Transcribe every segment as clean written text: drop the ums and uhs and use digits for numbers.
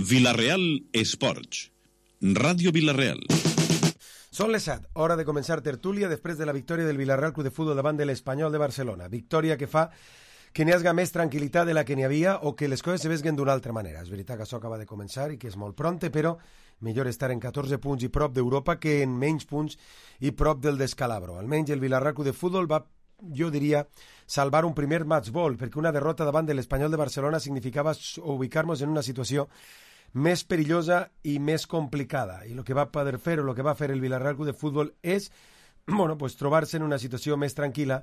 Vila-real Esports. Ràdio Vila-real. Són les 7, hora de començar tertúlia després de la victòria del Villarreal Club de Futbol davant de l'Espanyol de Barcelona. Victòria que fa que n'hi hagi més tranquil·litat de la que n'hi havia o que les coses se vesguen d'una altra manera. És veritat que això acaba de començar i que és molt pronte, però millor estar en 14 punts i prop d'Europa que en menys punts i prop del descalabro. Almenys el Villarreal Club de Futbol va, jo diria, salvar un primer match ball, perquè una derrota davant de l'Espanyol de Barcelona significava ubicar-nos en una situació més perillosa i més complicada. I el que va poder fer o el que va fer el Villarreal Club de Futbol és trobar-se en una situació més tranquil·la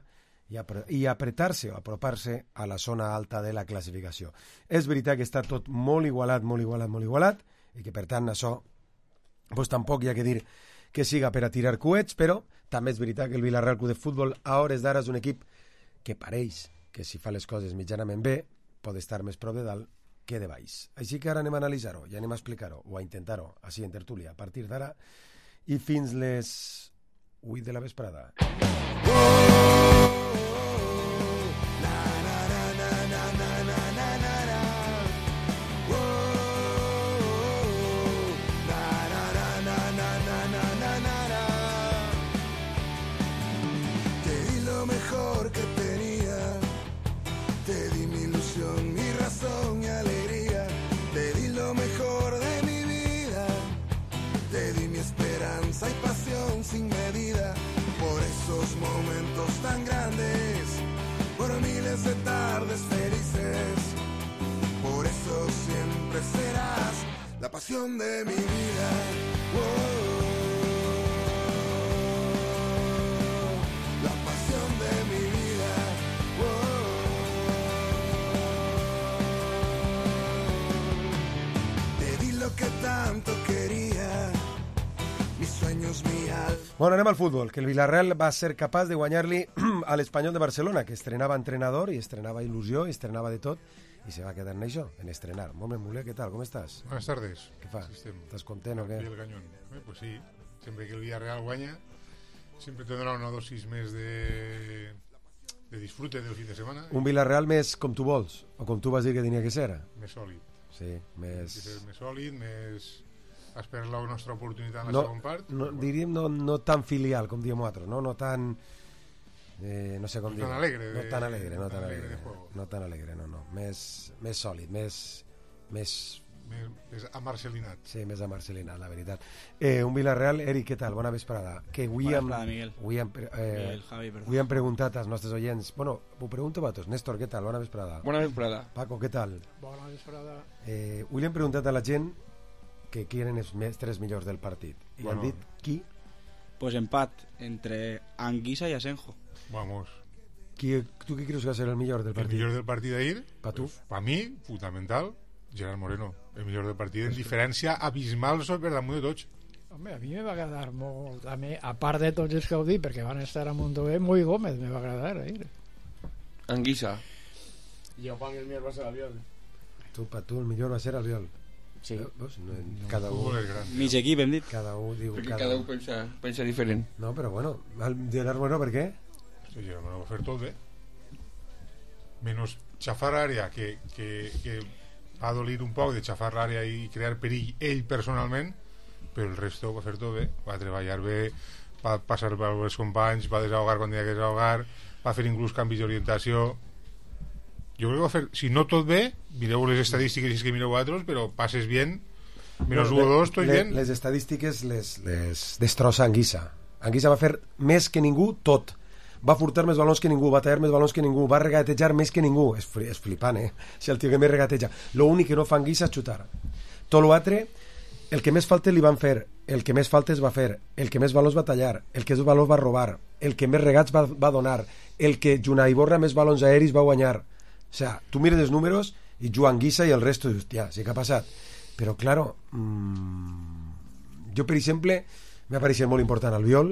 i apretar-se o apropar-se a la zona alta de la classificació. És veritat que està tot molt igualat, i que per tant això tampoc hi ha que dir que siga per a tirar coets, però també és veritat que el Villarreal Club de Futbol a hores d'ara és un equip que pareix que si fa les coses mitjanament bé pot estar més prop de dalt que de baix. Així que ara anem a analitzar-ho i anem a explicar-ho o a intentar-ho així en tertúlia a partir d'ara i fins les 8 de la vesprada. Sin medida, por esos momentos tan grandes, por miles de tardes felices, por eso siempre serás la pasión de mi vida. La pasión de mi vida. Te di lo que tanto quería. Bueno, anem al futbol, que el Villarreal va ser capaç de guanyar-li a l'Espanyol de Barcelona, que estrenava entrenador i estrenava il·lusió i estrenava de tot, i se va quedar en això, en estrenar. Moment, Muller, què tal? Com estàs? Buenas tardes. Què fa? Sí, ¿Estás content o què? El cañón. Pues sí, siempre que el Villarreal guanya, siempre tendrà una dosis més de disfrute del fin de semana. Un Villarreal més com tu vols, o com tu vas dir que tenia que ser. Més sòlid. Sí, més sòlid, més esperar la nostra oportunitat en la segona part. Diríem no tan filial, com diem nosaltres, no tan... no sé com dir. No tan alegre. No tan alegre, no. Més sòlid, més amarcelinat. Sí, més amarcelinat, la veritat. Un Villarreal, Eric, què tal? Bona vesprada. Que avui hem preguntat als nostres oients. Bueno, ho pregunto a tots. Néstor, què tal? Bona vesprada. Bona vesprada. Paco, què tal? Bona vesprada. Avui li hem preguntat a la gent que quieren els tres millors del partit. I han dit qui? Pues empat entre Anguissa y Asenjo. Vamos. ¿Tú qué crees que va a ser el millor del partido? El millor del partit d'ahir? Pa tu? Pues, pa mi, fundamental, Gerard Moreno. El millor del partit, en diferència abismal per damunt de tots. Home, a mi me va agradar molt, a part de tots els que ho dic, perquè van estar a Mondover, Muy Gómez me va agradar ahir. Anguissa. Jo pa mi el millor va ser Albiol. Pa tu el millor va ser Albiol. Sí. Cada un... Mig equip, hem dit. Cada un diu... Perquè cada un pensa diferent. No, però bueno, Gerard Moreno, per què? Sí, Gerard Moreno va fer tot bé. Menos xafar l'àrea, que va dolir un poc de xafar l'àrea i crear perill ell personalment, però el resto va fer tot bé. Va treballar bé, va passar per els companys, va desahogar quan havia que desahogar, va fer inclús canvis d'orientació. Jo crec que va fer, si no tot bé, mireu les estadístiques si és que mireu altres, però passes bien, menos 1 o 2, tot bien. Les estadístiques les destrossa Anguissa. Anguissa va fer més que ningú tot. Va furtar més balons que ningú, va tallar més balons que ningú, va regatejar més que ningú. És flipant, Si el tio que més regateja. Lo únic que no fa Anguissa és xutar. Tot l'altre, el que més faltes li van fer, el que més faltes va fer, el que més balons va tallar, el que més balons va robar, el que més regats va donar, el que junt a Iborra més balons aeris va guanyar. O sea, tu mires els números i Joan Guissa i el resto dius, hòstia, sí que ha passat. Però, claro, jo, per exemple, m'ha pareixet molt important Albiol,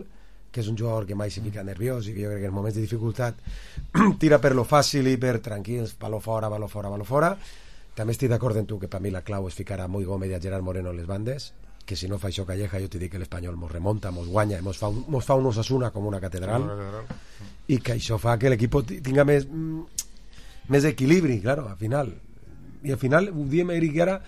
que és un jugador que mai se fica nerviós i que jo crec que en moments de dificultat tira per lo fàcil i per tranquils, baló fora. També estic d'acord en tu que per mi la clau és ficar a Muy Gómez i a Gerard Moreno en les bandes, que si no fa això Calleja jo t'he dit que l'Espanyol mos remonta, mos guanya, mos fa un Osasuna com una catedral, i que això fa que l'equip tinga més equilibri, claro, al final. I al final, ho diem, Eric, ara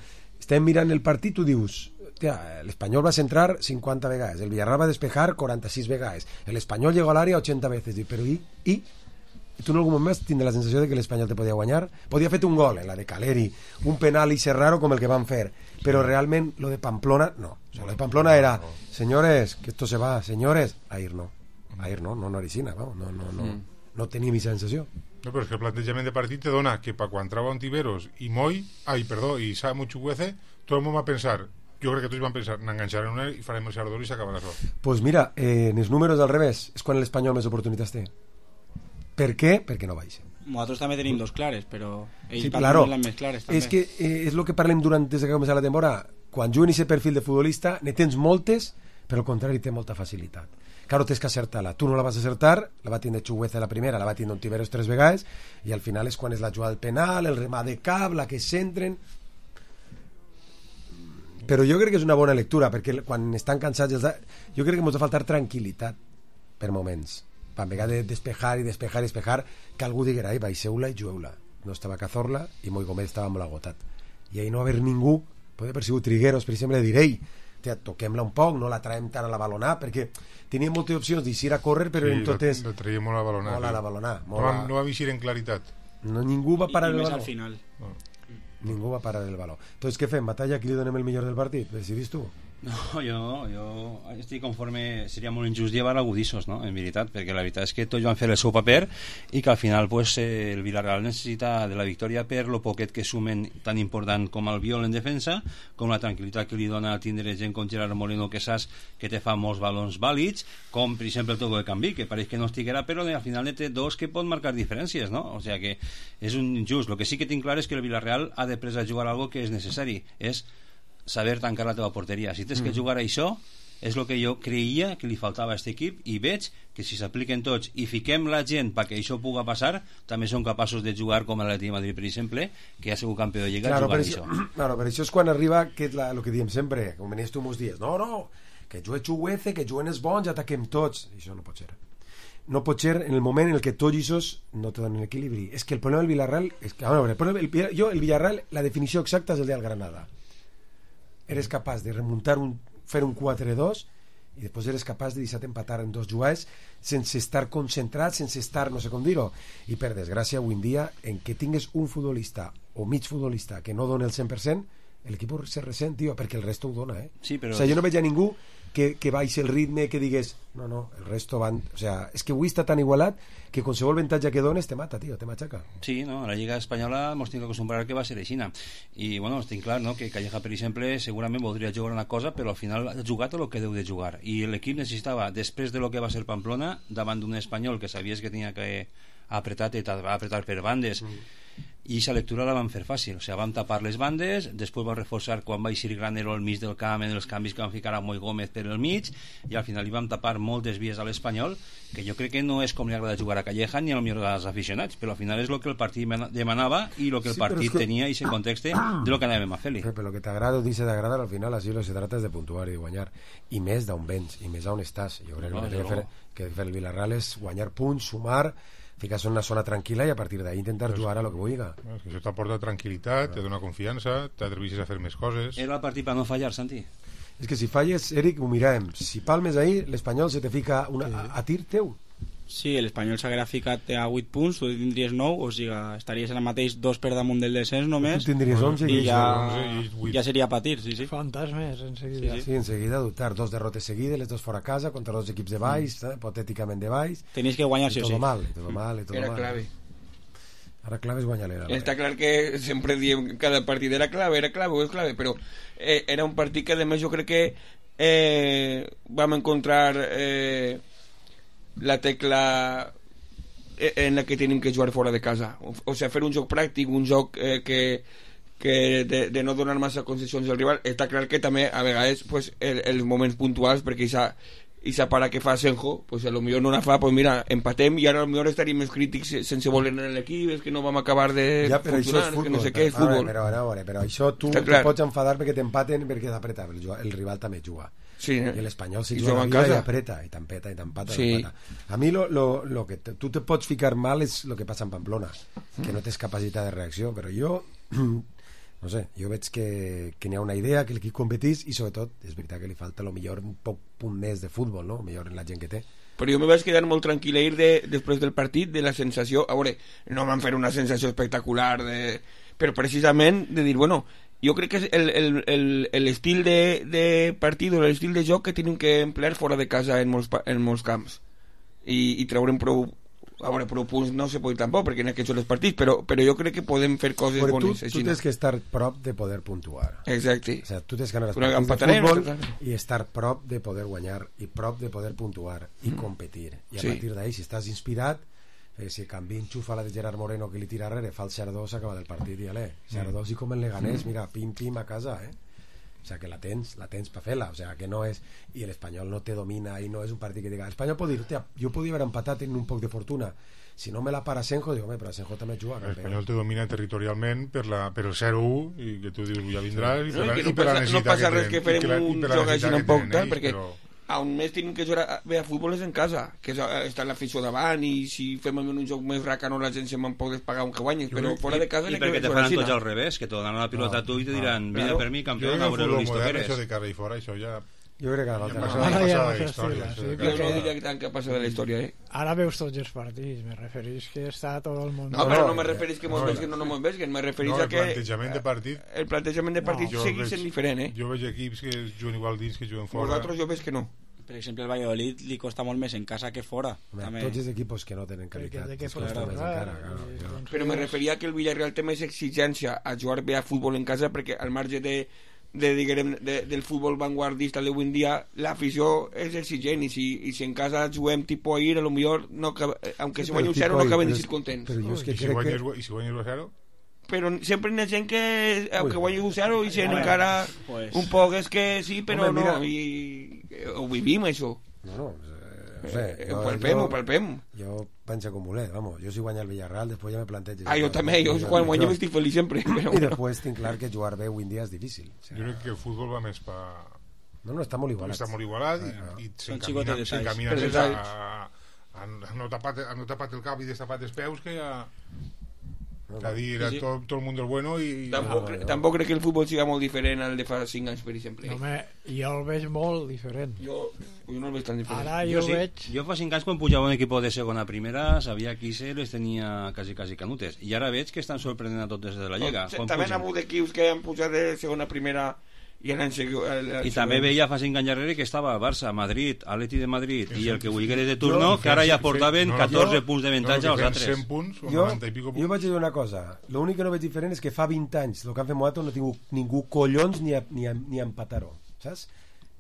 estem mirant el partit, tu dius l'Espanyol va centrar 50 vegades, el Villarreal va despejar 46 vegades, l'Espanyol llegó a l'àrea 80 veces, però i tu en algun moment tindràs la sensació de que l'Espanyol te podia guanyar, podia fet un gol en la de Caleri, un penal i raro com el que van fer, però realment lo de Pamplona no, o sea, lo de Pamplona era señores, que esto se va, señores, ahir no origina, no tenia mi sensació. No, però és que el plantejament de partit te dona que per quan trau Ontiveros i i Samu Chukwueze, tot el món va pensar, jo crec que tots van pensar, n'enganxarem una i farem el Sardor i s'acabarà això. Pues mira, en els números al revés és quan l'Espanyol més oportunitats té. Per què? Perquè no baixa. Nosaltres també tenim dos clares, però ells claro, les més clares també. És que és el que parlem des que comença la temporada. Quan juguen aquest perfil de futbolista ne tens moltes, però al contrari té molta facilitat. Claro, tens que acertar-la. Tu no la vas acertar, la va tindre Chukwueze la primera, la va tindre Ontiveros 3 vegades, i al final és quan és la jugada del penal, el remat de cap, la que s'entren. Però jo crec que és una bona lectura, perquè quan estan cansats jo crec que ens ha faltar tranquil·litat per moments. En vegada de despejar, que algú diguera, baixeu-la i jueu-la. No estava Cazorla i Moi Gómez estava molt agotat. I ahir no haver ningú, pot haver sigut Trigueros, per exemple, direi, toquem-la un poc, no la traiem tant a la balonà, perquè tenia moltes opcions d'eixir a córrer, però en totes... Sí, la traiem molt a la balonà. Molt a la balonà. No va eixir en claritat. No, ningú va parar el baló. I més al final. Ningú va parar el baló. Entonces, què fem? Batalla? Qui li donem el millor del partit? Decidis tu? No, jo estic conforme, seria molt injust llevar agudissos, no? En veritat, perquè la veritat és que tots van fer el seu paper i que al final pues, el Villarreal necessita de la victòria per lo poquet que sumen tan important com el Biol en defensa, com la tranquil·litat que li dona tindre gent com Gerard Moreno, que saps que te fa molts balons vàlids, com per exemple el Togo de Canvi, que pareix que no estiguera, però al final té dos que pot marcar diferències, no? O sea que és un injust. Lo que sí que tinc clar és que el Villarreal ha de a jugar algo que és necessari, és saber tancar la teva porteria. Si tens que jugar a això, és el que jo creia que li faltava a aquest equip, i veig que si s'apliquen tots i fiquem la gent perquè això pugui passar, també són capaços de jugar com l'Atlètic de Madrid, per exemple, que ja ha sigut campió de Lliga, claro, jugar això. Claro, per això és quan arriba, que és el que diem sempre, com venies tu molts dies, no, que jugui Chukwueze, que juguen els bons, ataquem tots. Això no pot ser. No pot ser en el moment en el que tots aquests no te donen equilibri. És que el problema del Villarreal és que, el Villarreal, la definició exacta és el del Granada. Eres capaç de remuntar fer un 4-2 i després eres capaç de deixar-te empatar en dos jugades sense estar concentrat, sense estar no sé com dir-ho, i per desgràcia avui en dia en què tingues un futbolista o mig futbolista que no dona el 100%, l'equip se ressent, tio, perquè el resto ho dona, Sí, però... O sea, jo no veig a ningú que baixi el ritme, que digués no, el resto van... O sea, és que avui està tan igualat que qualsevol avantatge que dones te mata, tio, te matxaca. Sí, no, a la Lliga Espanyola ens tinc que acostumbrar que va ser així. I, bueno, estic clar, no?, que Calleja, per exemple, segurament voldria jugar una cosa, però al final ha jugat el que deu de jugar. I l'equip necessitava, després de lo que va ser Pamplona, davant d'un espanyol que sabies que tenia que apretar per bandes, i aquesta lectura la van fer fàcil, o sigui, vam tapar les bandes, després va reforçar quan va eixir Granero al mig del camp en els canvis que van ficar a Moi Gómez per el mig, i al final li vam tapar moltes vies a l'Espanyol, que jo crec que no és com li agrada jugar a Calleja ni al millor dels aficionats, però al final és el que el partit demanava i el que el partit tenia i ese context de lo que anàvem a fer-li. Però el que t'agrada o deixa d'agradar, al final així se trata és de puntuar i de guanyar, i més d'on vens i més d'on estàs. Jo crec que fer el Villarreal és guanyar punts, sumar, ficar-se en una zona tranquil·la i a partir d'ahí intentar jugar a lo que vulgui. És que això t'aporta tranquil·litat, te dona confiança, t'atreveixes a fer més coses. Era el partit per no fallar, Santi. És que si falles, Eric, ho mirem. Si palmes ahir, l'Espanyol se te fica a tir teu. Sí, l'Espanyol s'haguera ficat a 8 punts, tu tindries 9, o sigui, estaries en el mateix 2 per damunt del descens només. Tu tindries 11 i ja seria patir, sí. Fantasmes, en seguida. Sí, en seguida dubtar. 2 derrotes seguides, les 2 fora casa, contra 2 equips de baix, hipotèticament de baix. Tenies que guanyar, sí o sí. Todo mal. Era clave. Ara clave és guanyar l'era. Està clar que sempre diem que cada partit era clave, però era un partit que, a més, jo crec que vam encontrar la tecla en la que tenim que jugar fora de casa, o sigui, fer un joc pràctic, un joc que de no donar massa concessions al rival. Està clar que també a vegades pues, els moments puntuals, perquè esa para que fa Senjo, pues a lo millor no la fa, pues mira, empatem i ara a lo millor estaríem més crítics sense voler en l'equip, és que no vam acabar de funcionar, és que no sé què, és futbol. Però això tu te pots enfadar perquè t'empaten, perquè t'apreta, el rival també juga. Sí, i l'Espanyol si juga i apreta i t'empeta i t'empata, sí. A mi lo que tu te pots ficar mal és el que passa en Pamplona, que no tens capacitat de reacció, però jo no sé, jo veig que n'hi ha una idea, que l'equip competís, i sobretot és veritat que li falta a lo millor un poc punt més de futbol, no? Millor en la gent que té. Però jo me vaig quedar molt tranquil a ir després del partit, de la sensació, a veure, no van fer una sensació espectacular, però precisament de dir, bueno, jo crec que és l'estil de partit o l'estil de joc que tenen que emplear fora de casa en molts camps i treure'n prou, a veure, prou punts no se pot tampoc, perquè en aquests són els partits, però jo crec que podem fer coses però bones. Tu tens que estar prop de poder puntuar. Exacte. O sea, tu tens que anar als partits de futbol i estar prop de poder guanyar i prop de poder puntuar i competir. I a partir d'ahí, si estàs inspirat, si Canvi enxufa la de Gerard Moreno que li tira darrere, fa el 0-2, s'acaba del partit i alé. 0-2 i com el Leganés, mira, pim-pim a casa, O sea, que la tens per fer-la, o sea, que no és... I l'Espanyol no te domina i no és un partit que diga... L'Espanyol pot dir, jo podia haver empatat en un poc de fortuna. Si no me la para Asenjo, dic, home, però Asenjo també juga. L'Espanyol te domina territorialment per el 0-1 i que tu dius, ja vindràs, i per la necessitat no passa res que farem un joc així un poc, perquè on més tenim que jugar bé a futbol és en casa, que està l'afició davant, i si fem un joc més racano la gent se me'n pot pagar un que guanyes, però fora de casa... I perquè te faran tots al revés, que te donaran la pilota a tu i te diran, vine per mi, campió, a veure lo listo que eres. Això de cara i fora, això ja... Jo crec que no diria tant que ha passat de la història, Ara veus tots els partits, me referís que està tot el món... No, però no me referís que mos vesguen o no mos vesguen, me referís a que... El plantejament de partit segueix sent diferent, Jo veig equips que juguen igual dins que juguen fora. Vosaltres jo veig que no. Per exemple, el Valladolid li costa molt més en casa que fora. Tots els equipos que no tenen qualitat costa més encara. Però me referia que el Villarreal té més exigència a jugar bé a futbol en casa, perquè al marge del futbol vanguardista d'avui en dia, l'afició és exigent, i si en casa juguem tipus ahir, a lo millor aunque se guanyi un 0 no acabem de ser contents. I si guanyes 1-0? Però sempre hi ha gent que aunque guanyi un 0 i sent encara un poc és que sí, però no, i ho vivim això. No sé, ho palpem. Jo penso com voler, vamos, jo si guanya el Villarreal després ja me plantejo. Jo també, jo quan guanyem estic feliç sempre. I després tinc clar que jugar bé avui en dia és difícil. Jo crec que el futbol va més per... No, està molt igualat. Està molt igualat i s'encamina més a no tapat el cap i destapat els peus que a... a dir a tot el món del bueno i... Tampoc crec que el futbol siga molt diferent al de fa 5 anys, per exemple. Home, jo el veig molt diferent. Jo no el veig tan diferent. Ara jo veig... Jo fa 5 anys quan pujava un equip de segona a primera sabia qui les tenia quasi canutes, i ara veig que estan sorprenent a tots des de la Lliga. També han hagut equips que han pujat de segona a primera i també veia fa 5 anys darrere que estava Barça, Madrid, Atleti de Madrid i el que vulgués de turno, que ara ja portaven 14 punts de avantatge als altres. 100 punts o 90 i pico punts. Jo vaig dir una cosa, l'únic que no veig diferent és que fa 20 anys el que han fet Moato no ha tingut ningú collons ni a empatar-ho, saps?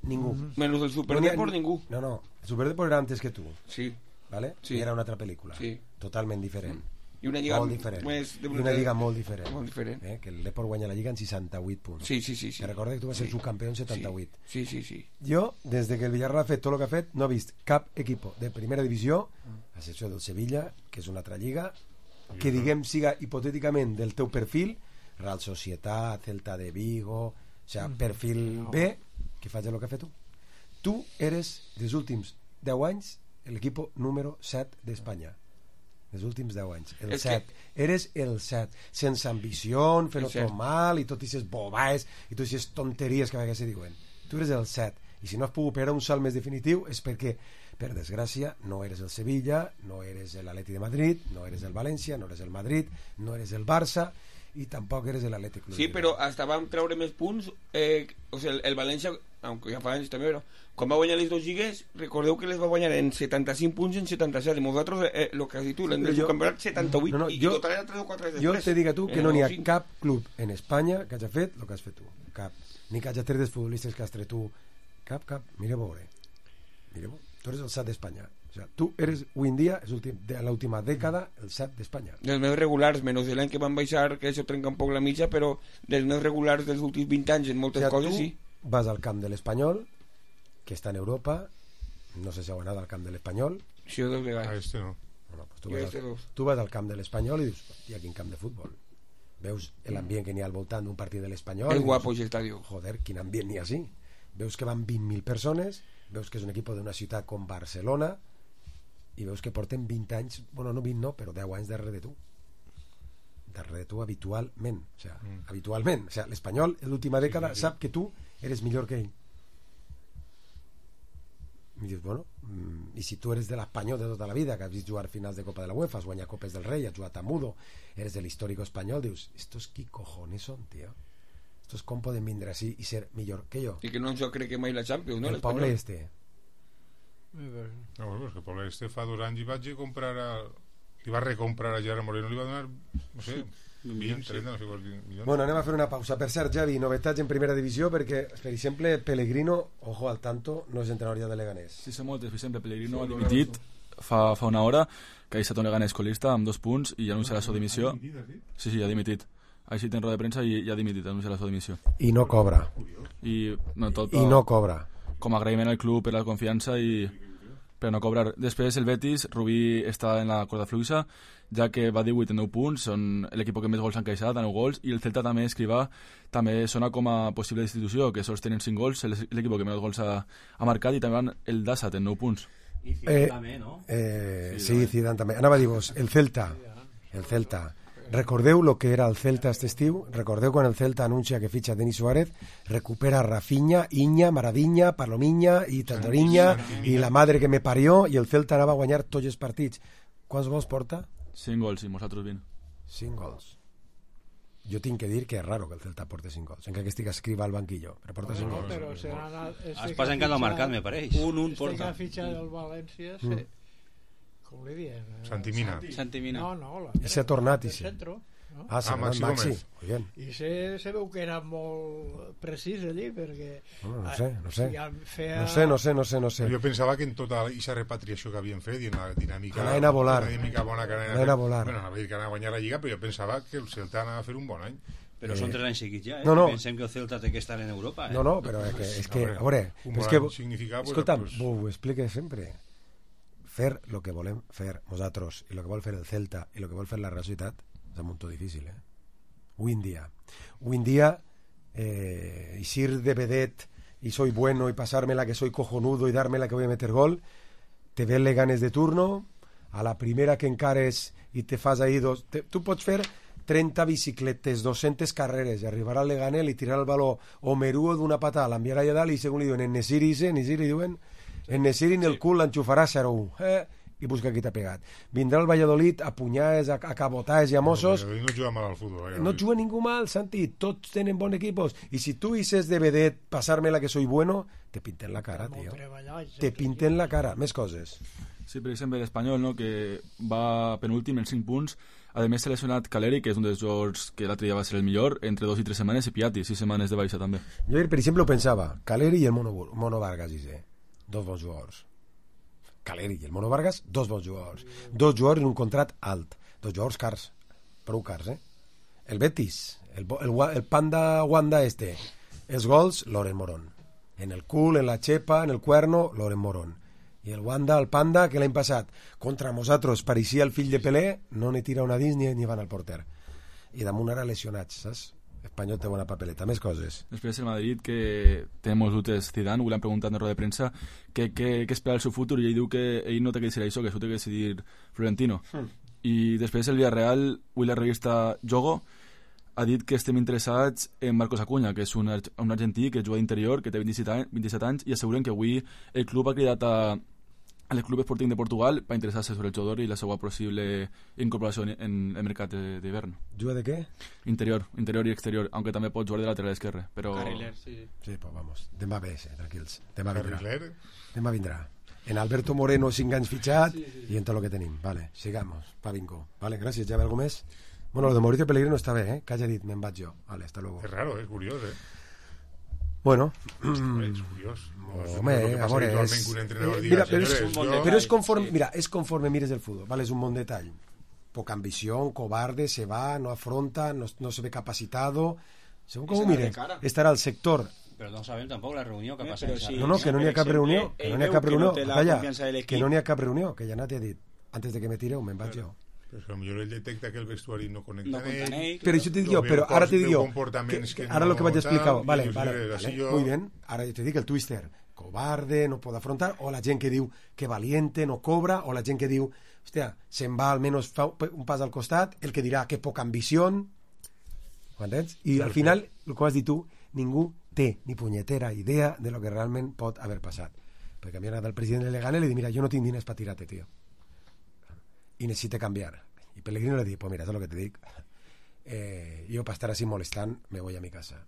Ningú. Menys el Superdeport, ningú. No, el Superdeport era antes que tu. Sí. ¿Vale? Sí. I era una altra pel·lícula. Sí. Totalment diferent. I una lliga molt diferent. I una lliga molt diferent. Que el Depor guanya la lliga en 68 punts. Sí. Te recorda que tu vas ser subcampió en 78. Sí. Jo, des que el Villarreal ha fet tot el que ha fet, no he vist cap equip de primera divisió, a excepció del Sevilla, que és una altra lliga, que diguem siga hipotèticament del teu perfil, Real Societat, Celta de Vigo, o sea, perfil B, que faci el que ha fet tu. Tu eres, dels últims 10 anys, l'equip número 7 d'Espanya. Els últims 10 anys, el 7. Eres el 7, sense ambició, fent-ho tot mal i tot aquestes bobaes i totes aquestes tonteries que a vegades se diuen. Tu eres el 7, i si no has pogut pegar un salt més definitiu és perquè, per desgràcia, no eres el Sevilla, no eres l'Atleti de Madrid, no eres el València, no eres el Madrid, no eres el Barça i tampoc eres l'Atlètic Club. Sí, però hasta vam treure més punts, o sigui, el València, aunque ja fa anys també, però quan va guanyar les dues lligues, recordeu que les va guanyar en 75 punts en 77, i nosaltres, el que has dit tu, l'hem de campionat 78, i total era 3 o 4 després. Jo te dic a tu que no n'hi ha cap club en Espanya que hagi fet el que has fet tu, cap, ni que hagi tret dels futbolistes que has tret tu, cap, mira a veure, tu eres el 7 d'Espanya. O sea, tu eres avui en dia, de l'última dècada, el 7 d'Espanya. Dels més regulars, menys l'any que van baixar, que això trenca un poc la mitja, però dels més regulars dels últims 20 anys en moltes coses, sí. Vas al camp de l'Espanyol, que està en Europa, no sé si heu anat al camp de l'Espanyol. Sí, dos vegades. Este no. Tu vas al camp de l'Espanyol i dius, hòstia, quin camp de futbol. Veus l'ambient que n'hi ha al voltant d'un partit de l'Espanyol. És guapo, aquest estadi. Joder, quin ambient n'hi ha així. Veus que van 20.000 persones, veus que és un equip d'una ciutat com Barcelona, i veus que porten 20 anys, bueno, no 20 no, però 10 anys darrere de tu. darrere tu habitualment. O sea, habitualment. O sea, l'Espanyol, en l'última dècada, sap que tu eres millor que ell. I dius, bueno, i si tu eres de l'Espanyol de tota la vida, que has vist jugar finals de Copa de la UEFA, has guanyat Copes del Rei, has jugat a Mudo, eres del histórico espanyol, dius, estos qui cojones son, tío? Estos com poden vindre així i ser millor que jo? I que no jo crec que mai la Champions, no? El poble este. No, bueno, és que Pablo este fa 2 anys i vaig a comprar li va recomprar a Gerard Moreno, li va donar, no sé, 20, 30, no sé quants milions. Bueno, anem a fer una pausa. Per cert, Javi, novetats en primera divisió, perquè, per exemple, Pellegrino, ojo al tanto, no és entrenador ja de Leganés. Sí, sé moltes. Per exemple, Pellegrino ha dimitit fa una hora, que ha deixat un Leganés colista amb 2 punts i ja anuncia la seva dimissió. Sí, ha dimitit. Ha així en roda de premsa i ja ha dimitit, ha anunciat la seva dimissió. I no cobra. I no cobra. Com a agraïment al club per la confiança i per no cobrar. Després el Betis, Rubí està en la corda fluixa, ja que va 18 en 9 punts, són l'equip que més gols han encaixat, a 9 gols, i el Celta també, Escrivà, també sona com a possible destitució, que sols tenen 5 gols, l'equip que més gols ha marcat, i també van el Dassat en 9 punts. I Zidane també, no? Sí, Zidane també. Anava a dir-vos, el Celta, recordeu lo que era el Celta este estiu? Recordeu quan el Celta anuncia que fitxa Denis Suárez, recupera Rafinha, Iña, Maradinha, Palomiña i Tandoriña i la madre que me parió, i el Celta anava a guanyar tots els partits. Quants gols porta? 5 gols, i nosaltres 20. 5 gols. Jo tinc que dir que és raro que el Celta porti 5 gols, encara que estic Escrivà al banquillo, però porta 5 gols. Però es passa encara al mercat, me pareix. Un porta. Este que fitxa del València, com li diem? Santimina. No. I s'ha tornat, i sí. No? S'ha tornat Maxi. I se veu que era molt precís allí, perquè... No sé. Jo pensava que en tota aquesta repatriació que havien fet i en la dinàmica... Anaven a volar. La dinàmica bona que anaven a volar. Bueno, anava a dir que anava a guanyar la Lliga, però jo pensava que el Celta anava a fer un bon any. Però són 3 anys seguits ja, No. Pensem que el Celta té que estar en Europa. No, però és que a veure... Un bon any significa... Escolta'm, ho explique sempre. Fer el que volem fer nosaltres i el que vol fer el Celta i el que vol fer la Real Societat és un munt difícil, Hoy en día ir de vedet y soy bueno y pasármela que soy cojonudo y dármela que voy a meter gol, te ven Leganés de turno, a la primera que encares i te fas ahí tu pots fer 30 bicicletes, 200 carreres i arribar al Leganés i tirar el baló o Meruo d'una patada, l'enviarà allà dalt i segons li diuen en Nesiri diuen en Nesiri en el cul l'enxufarà 0-1 i busca qui t'ha pegat. Vindrà el Valladolid a punyades, a cabotaes i a Mossos. No juga mal al futbol. No juga ningú mal, Santi. Tots tenen bons equipos. I si tu dices de vedet, pasármela que soy bueno, te pinten la cara, tío. Te pinten la cara. Més coses. Sí, per exemple, l'Espanyol, no?, que va penúltim en 5 punts. A més, s'ha lesionat Caleri, que és un dels jugadors que l'altre dia va ser el millor, entre 2 i 3 setmanes, i Piatti, 6 setmanes de baixa també. Jo, per exemple, ho pensava. Caleri i el Mono Vargas, dos bons jugadors. Caleri i el Mono Vargas, 2 bons jugadors. 2 jugadors en un contrat alt. 2 jugadors cars. Prou cars, El Betis, el Panda Wanda este. Els gols, Loren Morón. En el cul, en la xepa, en el cuerno, Loren Morón. I el Wanda, el Panda, que l'any passat contra nosaltres pareixia el fill de Pelé, no ne tira una dins ni van al porter. I damunt ara lesionats, saps? Espanyol té bona papeleta. Més coses. Després el Madrid, que té molts dubtes Zidane, ho l'han preguntat en roda de premsa, què espera el seu futur, i ell diu que ell no té que decidir això, que això té que decidir Florentino. I després el Villarreal, avui la revista Jogo ha dit que estem interessats en Marcos Acuña, que és un argentí que juga d'interior, que té 27 anys, i asseguren que avui el club ha cridat a l'Club Sporting de Portugal per interessar-se sobre el jugador i la seva possible incorporació en el mercat d'hivern. Juga de què? Interior i exterior, aunque també pot jugar de lateral esquerre. Però... Carriler, sí. Sí, pues vamos. Demà ve, tranquils. Demà vindrà. En Alberto Moreno 5 anys fitxat i en tot el que tenim. Vale, sigamos. Pa bingo. Vale, gràcies. Ja ve algú més? Bueno, lo de Mauricio Pellegrino està bé, Que haya dit, me'n vaig jo. Vale, hasta luego. Es raro, es curiós, Bueno, es curioso. Home, amore, mira, però és conforme, mira, és conforme mires el futbol, vale, és un bon detall. Poca ambición, cobarde, se va, no afronta, no se ve capacitado. Según com ho mires, estarà al sector. Però no sabem tampoc la reunió que passa. No, que no n'hi ha cap reunió, que no n'hi ha cap reunió, que no n'hi ha cap reunió, que ja n'ha dit, antes de que me tireu, me'n vaig jo. Però potser ell detecta que el vestuari no connecta amb ell. Però això te dic jo, però ara te dic jo, ara lo que vaig explicar, vale, muy bien, ara te dic el twister, cobarde, no pot afrontar, o la gent que diu que valiente, no cobra, o la gent que diu hòstia, se'n va almenys fa un pas al costat, el que dirà que poca ambició, m'entens? I al final, el que has dit tu, ningú té ni punyetera idea de lo que realment pot haver passat. Perquè a mi anat al president Elegant i li dic, mira, jo no tinc diners per tirar-te, tio. I necessito canviar. I Pellegrino le dic, pues mira, és el que te dic. Jo per estar así molestant me voy a mi casa.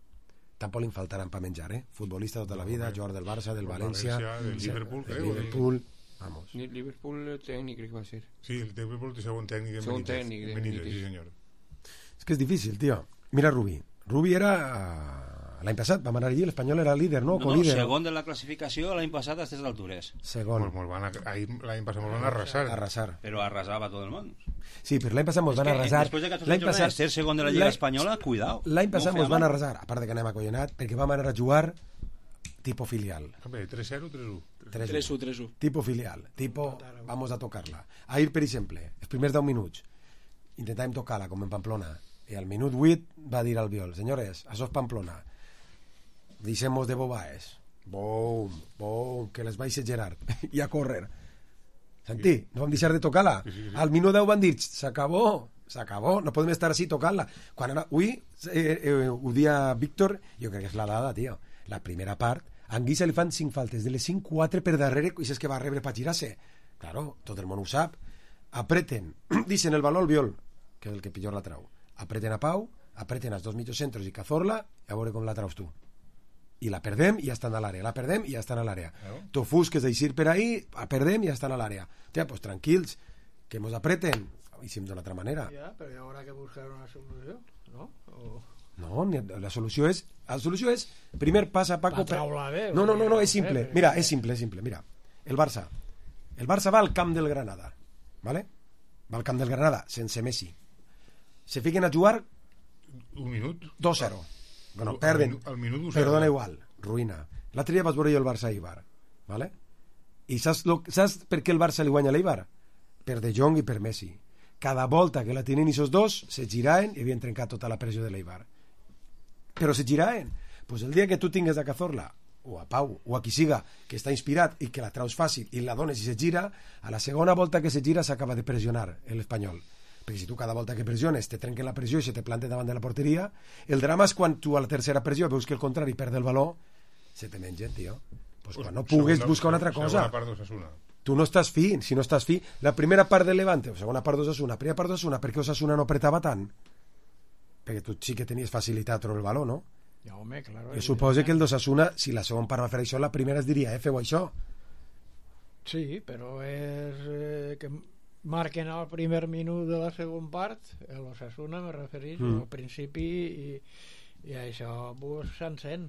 Tampoc li faltaran per menjar, futbolista tota la vida, jugador del Barça, del València, del Liverpool, vamos. El Liverpool tècnic crec que va ser. Sí, el Liverpool té segon tècnic Segon tècnic de Benítez, sí senyor. És que és difícil, tio. Mira Rubí era l'any passat, vam anar allí, l'Espanyol era líder, no? No, segon de la classificació l'any passat a aquestes altures. Segon. L'any passat molt van arrasar. Però arrasava tot el món. Sí, però l'any passat mos van arrasar. Després de 14 jornades, ser segon de la Lliga Espanyola, cuidao. L'any passat mos van arrasar, a part de que anem acollonat, perquè vam anar a jugar tipo filial. 3-0, 3-1. 3-1. Tipo filial, tipo vamos a tocarla. Ahir, per exemple, els primers 10 minuts intentàvem tocar-la com en Pamplona i al minut 8 va dir al Biol, senyores, això és Pamplona, deixem-nos de bobaes, boom, que les vaig Gerard i a córrer. Sentí, no vam deixar de tocar-la. Al minut 10 van dir, s'acabó, no podem estar així tocant-la. Quan ara, avui ho dia Víctor, jo crec que és la dada, tio, la primera part, a Anguissa li fan 5 faltes, de les 5, 4 per darrere, i és que va rebre per girar-se. Claro, tot el món ho sap. Apreten, deixen el baló al Biol, que és el que pitjor la trau. Apreten a Pau, apreten als dos mitjocentros i Cazorla, i a veure com la traus tu. I la perdem i ja estan a l'àrea, la perdem i ja estan a l'àrea. T'ofusques d'eixir per ahí, la perdem i ja estan a l'àrea. Hòstia, pues tranquils, que mos apreten, i si d'una altra manera. Ja, però hi haurà que buscar una solució, no? No, la solució és primer passa Paco... No, és simple. Mira, és simple. Mira, el Barça va al camp del Granada, ¿vale? Va al camp del Granada, sense Messi. Se fiquen a jugar un minut 2-0. Bueno, perden. Al minut 2-0. Perdona igual, ruïna. L'altre dia vas veure jo el Barça a Eibar, ¿vale? I saps per què el Barça li guanya a l'Eibar? Per De Jong i per Messi. Cada volta que la tenen esos dos se giraven i havien trencat tota la pressió de l'Eibar. Però se giraven. Pues el dia que tu tingues a Cazorla o a Pau, o a qui siga, que està inspirat i que la traus fàcil i la dones i se gira, a la segona volta que se gira s'acaba de pressionar l'Espanyol. Perquè si tu cada volta que pressiones te trenquen la pressió i se te plante davant de la porteria, el drama és quan tu a la tercera pressió veus que el contrari perd el valor, se te mengen, tio. Pues quan no pugues buscar una altra cosa. Tu no estàs fi, si no estàs fi, la primera part del Levante, o segona part d'Osasuna, primera part d'Osasuna, per què Osasuna no apretava tant? Perquè tu sí que tenies facilitat a trobar el valor, no? Ja, home, claro. Jo suposo que el d'Osasuna, si la segona part va fer això, la primera es diria, feu això. Sí, però és que marquen al primer minut de la segona part, l'Osasuna me referís al principi i això vos s'encén.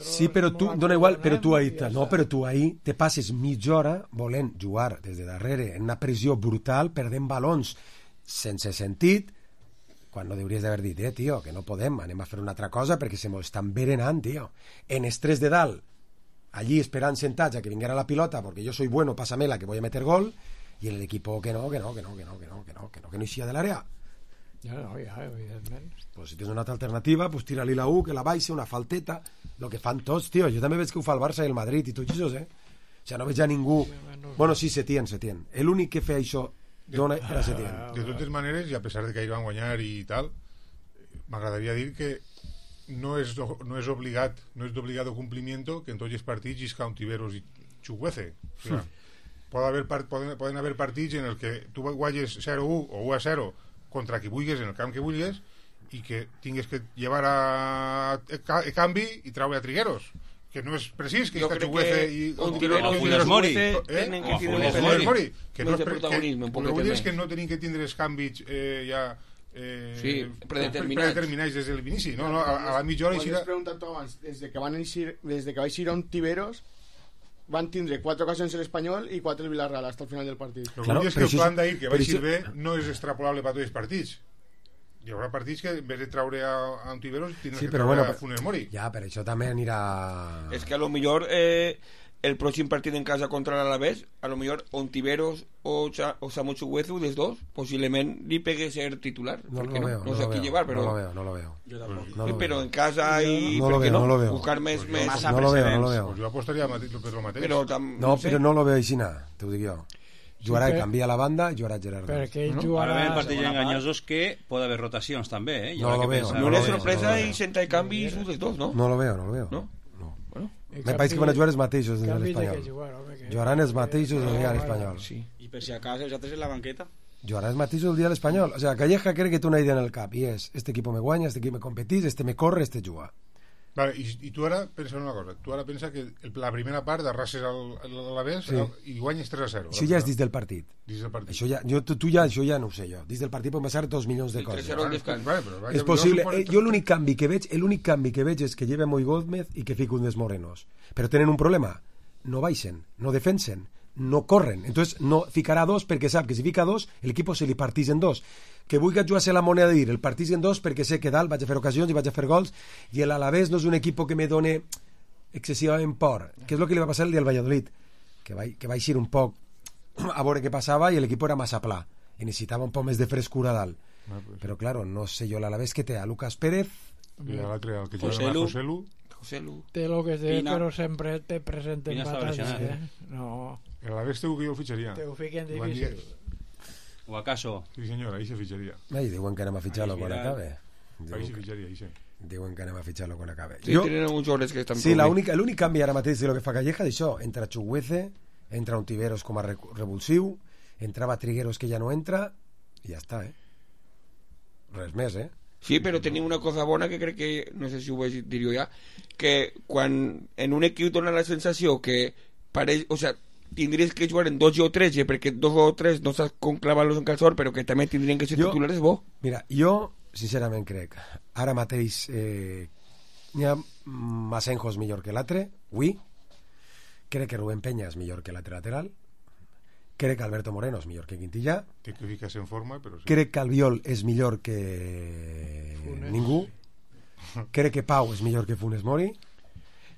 Sí, però tu, dona igual, però tu ahir te passes mitja hora volent jugar des de darrere en una pressió brutal, perdent balons sense sentit, quan no hauries d'haver dit, tio, que no podem, anem a fer una altra cosa perquè se m'ho estan berenant, tio. En estrès de dalt, allí esperant sentats a que vinguera la pilota perquè jo soy bueno, pásamela, que voy a meter gol, y el equipo que no eixia de l'àrea. Ja, evidentment. Pues si tens una altra alternativa, pues tira-li la U, que la baixa, una falteta, lo que fan tots, tio. Jo també veig que ho fa el Barça i el Madrid i tots això, O sea, no veig a ningú... Bueno, sí, Setién. L'únic que feia això era Setién. De totes maneres, i a pesar de que ahir van guanyar i tal, m'agradaria dir que no és d'obligado cumplimiento que en tots els partits isca un Tiberos i Chukwueze. O sea, poden haver partits en el que tu guanyes 0-1 o 1-0 contra qui vulguis, en el camp que vulguis, i que tingues que llevar a canvi i traure a Trigueros, que no és precís que Chukwueze i Funes Mori que no és protagonisme, però vull dir és que no tenim que tindre els canvis ja predeterminats des de l'inici, no? A la mitja hora has preguntat tu abans, des de que va eixir on Tiberos van tindre 4 ocasions l'Espanyol i 4 el Villarreal hasta el final del partit. Però és que el plan d'ahir que va eixir bé no és extrapolable per tots els partits. Hi haurà partits que en vez de traure a un Tiberos tindràs que traure a Funes Mori. Ja, però això també anirà... És que a lo millor el pròxim partit en casa contra l'Alavés, a lo millor Ontiveros o Samu Chukwueze, dels dos, posiblement li pegue ser titular. No lo veo. No sé a qui llevar, però... No lo veo. Yo tampoco. Pero en casa y... No lo veo, no lo veo. Buscar més no lo veo. Pues yo apostaría per lo mateix. No, però no lo veo així nada, te ho dic jo. Jugarà Sí, i canvia la banda i jugarà Gerard Rius. Perquè ell Ara jugarà... ven partits enganyosos que pot haver rotacions també, eh? I No habrá lo que veo, pensar. no Una lo veo, sorpresa no lo i veo. senta el canvi i surt els dos, no? No lo veo. No? Me pareix que van a jugar els mateixos del Canvi de Espanyol. que jugar, home, que... Jugaran els mateixos el dia de l'Espanyol. Sí. I per si acaso els altres en la banqueta. Jugaran els mateixos el dia de l'Espanyol. O sea, Calleja cree que té una idea en el cap i és, este equipo me guanya, este equip me competís, este me corre, este juga. Vale, i tu ara pensa una cosa. Tu ara pensa que la primera part arrases a l'Alavés Sí. i guanyes 3-0. Això ja és dins del partit. Dins del partit. Això ja, això ja no ho sé jo. Dins del partit poden passar 2 milions de Sí, coses. 3-0 al descans. Vale, però vaja, És possible. jo suposo- Jo l'únic canvi que veig és que lleva Moi Gómez i que fica un dels morenos. Però tenen un problema. No baixen, no defensen, no corren. Entonces no ficarà dos perquè sap que si fica dos, el equipo se li partís en dos. Que vulgui jugar-se la moneda de dir, el partís en dos perquè sé que dalt vaig a fer ocasions i vaig a fer gols i l'Alavés no és un equip que me done excessivament por. Que és el que li va passar el dia al Valladolid. Que va eixir un poc a veure què passava i l'equip era massa pla i necessitava un poc més de frescura dalt. Però, claro, no sé jo l'Alavés que té a Lucas Pérez. I l'altre, el que Joselu. Joselu. Joselu. Té lo que té, Pina. però sempre té present en Pina està batalla, lesionat, No, L'Alavés té que jo el fitxaria. te ho fiquen Van dir- difícil. O acaso Sí, senyora, ahí se fitxaria. Ai, diuen que anem a fitxar-lo Ahí quan mirad. acabe. Ahí se fitxaria, ahí sí. Diuen que anem a fitxar-lo quan acabe. Sí, tenen alguns jugadors que estan Sí, prou bé. l'únic canvi ara mateix de lo que fa Calleja d'això, entra Chuguece, entra un Tiveros com a revulsiu, entrava Trigueros que ja no entra i ja està, res més, Sí, però tenim una cosa bona que crec que, no sé si ho vaig dir jo ja, que quan en un equip dona la sensació que pareix, o sea, tindries que jugar en 2 o 3, perquè 2 o 3 no saps com clavar-los en calçor, però que també tindrien que ser titulars bo. Mira, jo sincerament crec ara mateix n'hi ha Masenjo és millor que l'altre, avui crec que Rubén Peña és millor que l'altre lateral, crec que Alberto Moreno és millor que Quintillà, Té que ficar-se en forma, però sí. crec que Albiol és millor que ningú, crec que Pau és millor que Funes Mori,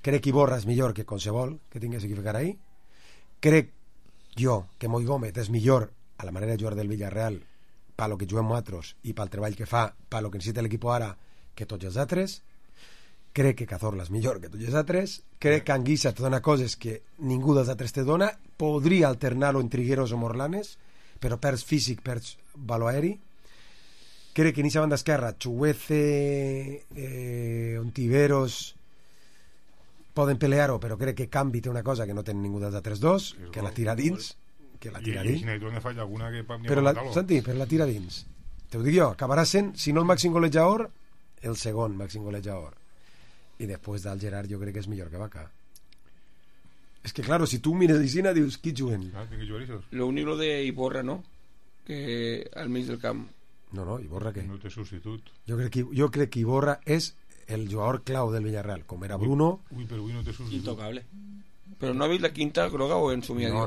crec que Iborra és millor que qualsevol que tingués que ficar ahí, crec jo que Moi Gómez és millor a la manera de jugar del Villarreal per lo que juguem nosaltres i pel treball que fa, per lo que necessita l'equip ara que tots els altres, crec que Cazorla és millor que tots els altres, crec que Anguissa te dona coses que ningú dels altres te dona, podria alternar-ho en Trigueros o Morlanes, però perds físic, perds valor aeri. Crec que en aquesta banda esquerra Chuguece, Ontiveros poden pelear-ho, però crec que Cambi té una cosa que no té ningú dels altres dos, que la tira dins, que la tira I dins. si n'hi ha falla alguna que... Però Santi, però la tira dins. Te ho dic jo, acabarà sent, si no el màxim golejador, el segon màxim golejador. I després del Gerard jo crec que és millor que Vaca. És que, claro, si tu mires l'Isina dius, qui juguen? Ah, tiene que jugar esos. Lo único de Iborra, no? Que al mig del camp. No, Iborra què? No té substitut. Jo crec que Iborra és el jugador clau del Villarreal, com era Bruno. Ui, però avui no té substitut. Intocable. Però no ha vist la quinta groga o en Sumia? No.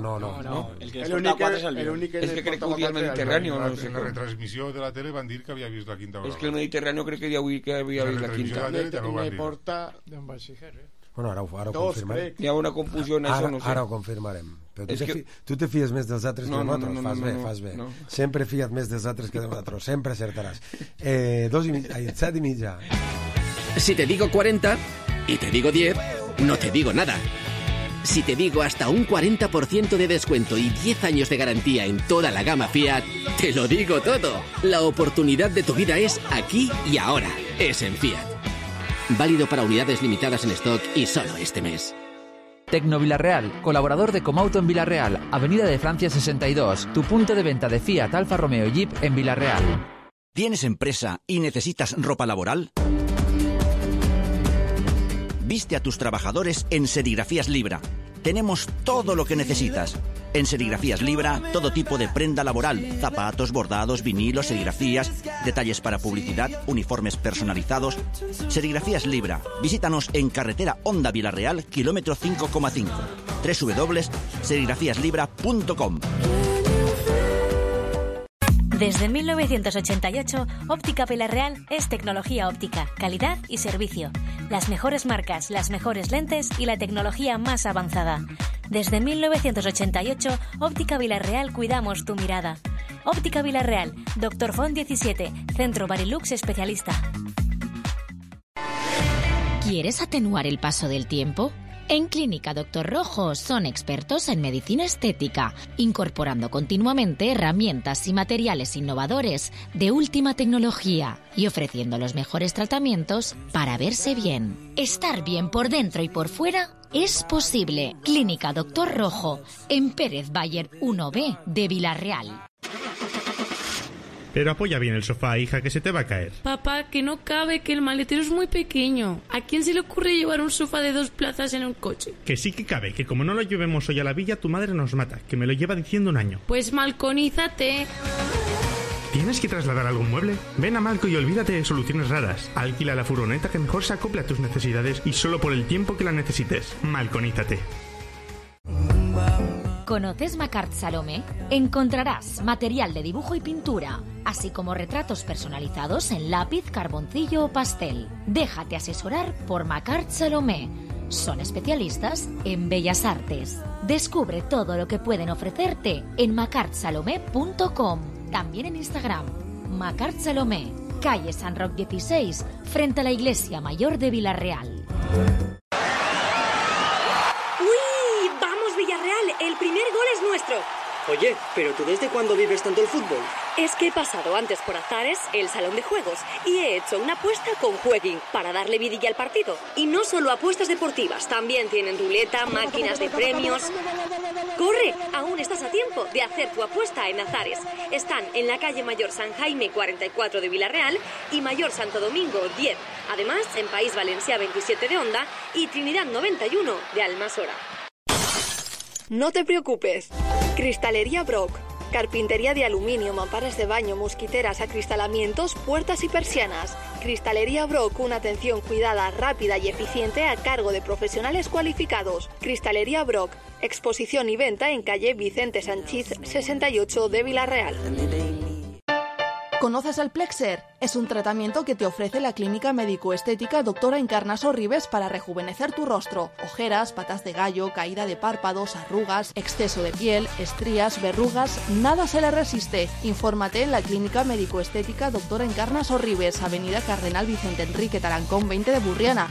El que El es porta únic 4 és el el Biol. únic que És que crec que ho dia al Mediterrani o no sé En la com. retransmissió de la tele van dir que havia vist la quinta És groga. que el Mediterrani crec que ja avui que havia La vist la retransmissió quinta. de la tele també ho van Me dir. porta D'on vaig ficar, Bueno, ara ho dos, confirmarem. crec. Hi ha una confusió en això, no sé. Ara ho confirmarem. Però És que- tu te fies més dels altres No, que no, nosaltres. no, Fas no, bé, no, fas bé. no. Sempre fia't més dels altres que de nosaltres. Sempre acertaràs. 7 i mitja. Si te digo 40 y te digo 10, no te digo nada. Si te digo hasta un 40% de descuento y 10 años de garantía en toda la gama Fiat, te lo digo todo. La oportunidad de tu vida es aquí y ahora. Es en Fiat. Válido para unidades limitadas en stock y solo este mes. Tecno Villarreal, colaborador de Comauto en Villarreal, Avenida de Francia 62, tu punto de venta de Fiat, Alfa Romeo y Jeep en Villarreal. ¿Tienes empresa y necesitas ropa laboral? Viste a tus trabajadores en Serigrafías Libra. Tenemos todo lo que necesitas. En Serigrafías Libra, todo tipo de prenda laboral, zapatos, bordados, vinilos, serigrafías, detalles para publicidad, uniformes personalizados. Serigrafías Libra. Visítanos en carretera Honda Villarreal, kilómetro 5,5. www.serigrafíaslibra.com. Desde 1988, Óptica Villarreal es tecnología óptica, calidad y servicio. Las mejores marcas, las mejores lentes y la tecnología más avanzada. Desde 1988, Óptica Villarreal cuidamos tu mirada. Óptica Villarreal, Dr. Font 17, Centro Barilux especialista. ¿Quieres atenuar el paso del tiempo? En Clínica Doctor Rojo son expertos en medicina estética, incorporando continuamente herramientas y materiales innovadores de última tecnología y ofreciendo los mejores tratamientos para verse bien. Estar bien por dentro y por fuera es posible. Clínica Doctor Rojo, en Pérez Bayer 1B de Villarreal. Pero apoya bien el sofá, hija, que se te va a caer. Papá, que no cabe, que el maletero es muy pequeño. ¿A quién se le ocurre llevar un sofá de 2 plazas en un coche? Que sí que cabe, que como no lo llevemos hoy a la villa, tu madre nos mata, que me lo lleva diciendo un año. Pues malconízate. ¿Tienes que trasladar algún mueble? Ven a Malco y olvídate de soluciones raras. Alquila la furgoneta que mejor se acople a tus necesidades y solo por el tiempo que la necesites. Malconízate. ¿Conoces Macart Salomé? Encontrarás material de dibujo y pintura, así como retratos personalizados en lápiz, carboncillo o pastel. Déjate asesorar por Macart Salomé. Son especialistas en bellas artes. Descubre todo lo que pueden ofrecerte en macartsalomé.com. También en Instagram, Macart Salomé, calle San Roc 16, frente a la Iglesia Mayor de Villarreal. El primer gol es nuestro. Oye, ¿pero tú desde cuándo vives tanto el fútbol? Es que he pasado antes por Azares, el salón de juegos, y he hecho una apuesta con Jueguin para darle vidilla al partido. Y no solo apuestas deportivas, también tienen ruleta, máquinas de premios. ¡Corre! Aún estás a tiempo de hacer tu apuesta en Azares. Están en la calle Mayor San Jaime 44 de Villarreal y Mayor Santo Domingo 10. Además, en País Valencià 27 de Onda y Trinidad 91 de Almasora. No te preocupes. Cristalería Brock. Carpintería de aluminio, mamparas de baño, mosquiteras, acristalamientos, puertas y persianas. Cristalería Brock, una atención cuidada, rápida y eficiente a cargo de profesionales cualificados. Cristalería Brock. Exposición y venta en calle Vicente Sanchís 68 de Villarreal. ¿Conoces el Plexer? Es un tratamiento que te ofrece la clínica médico-estética Doctora Encarnaso Ribes para rejuvenecer tu rostro. Ojeras, patas de gallo, caída de párpados, arrugas, exceso de piel, estrías, verrugas, nada se le resiste. Infórmate en la clínica médico-estética Doctora Encarnaso Ribes, avenida Cardenal Vicente Enrique Tarancón 20 de Burriana.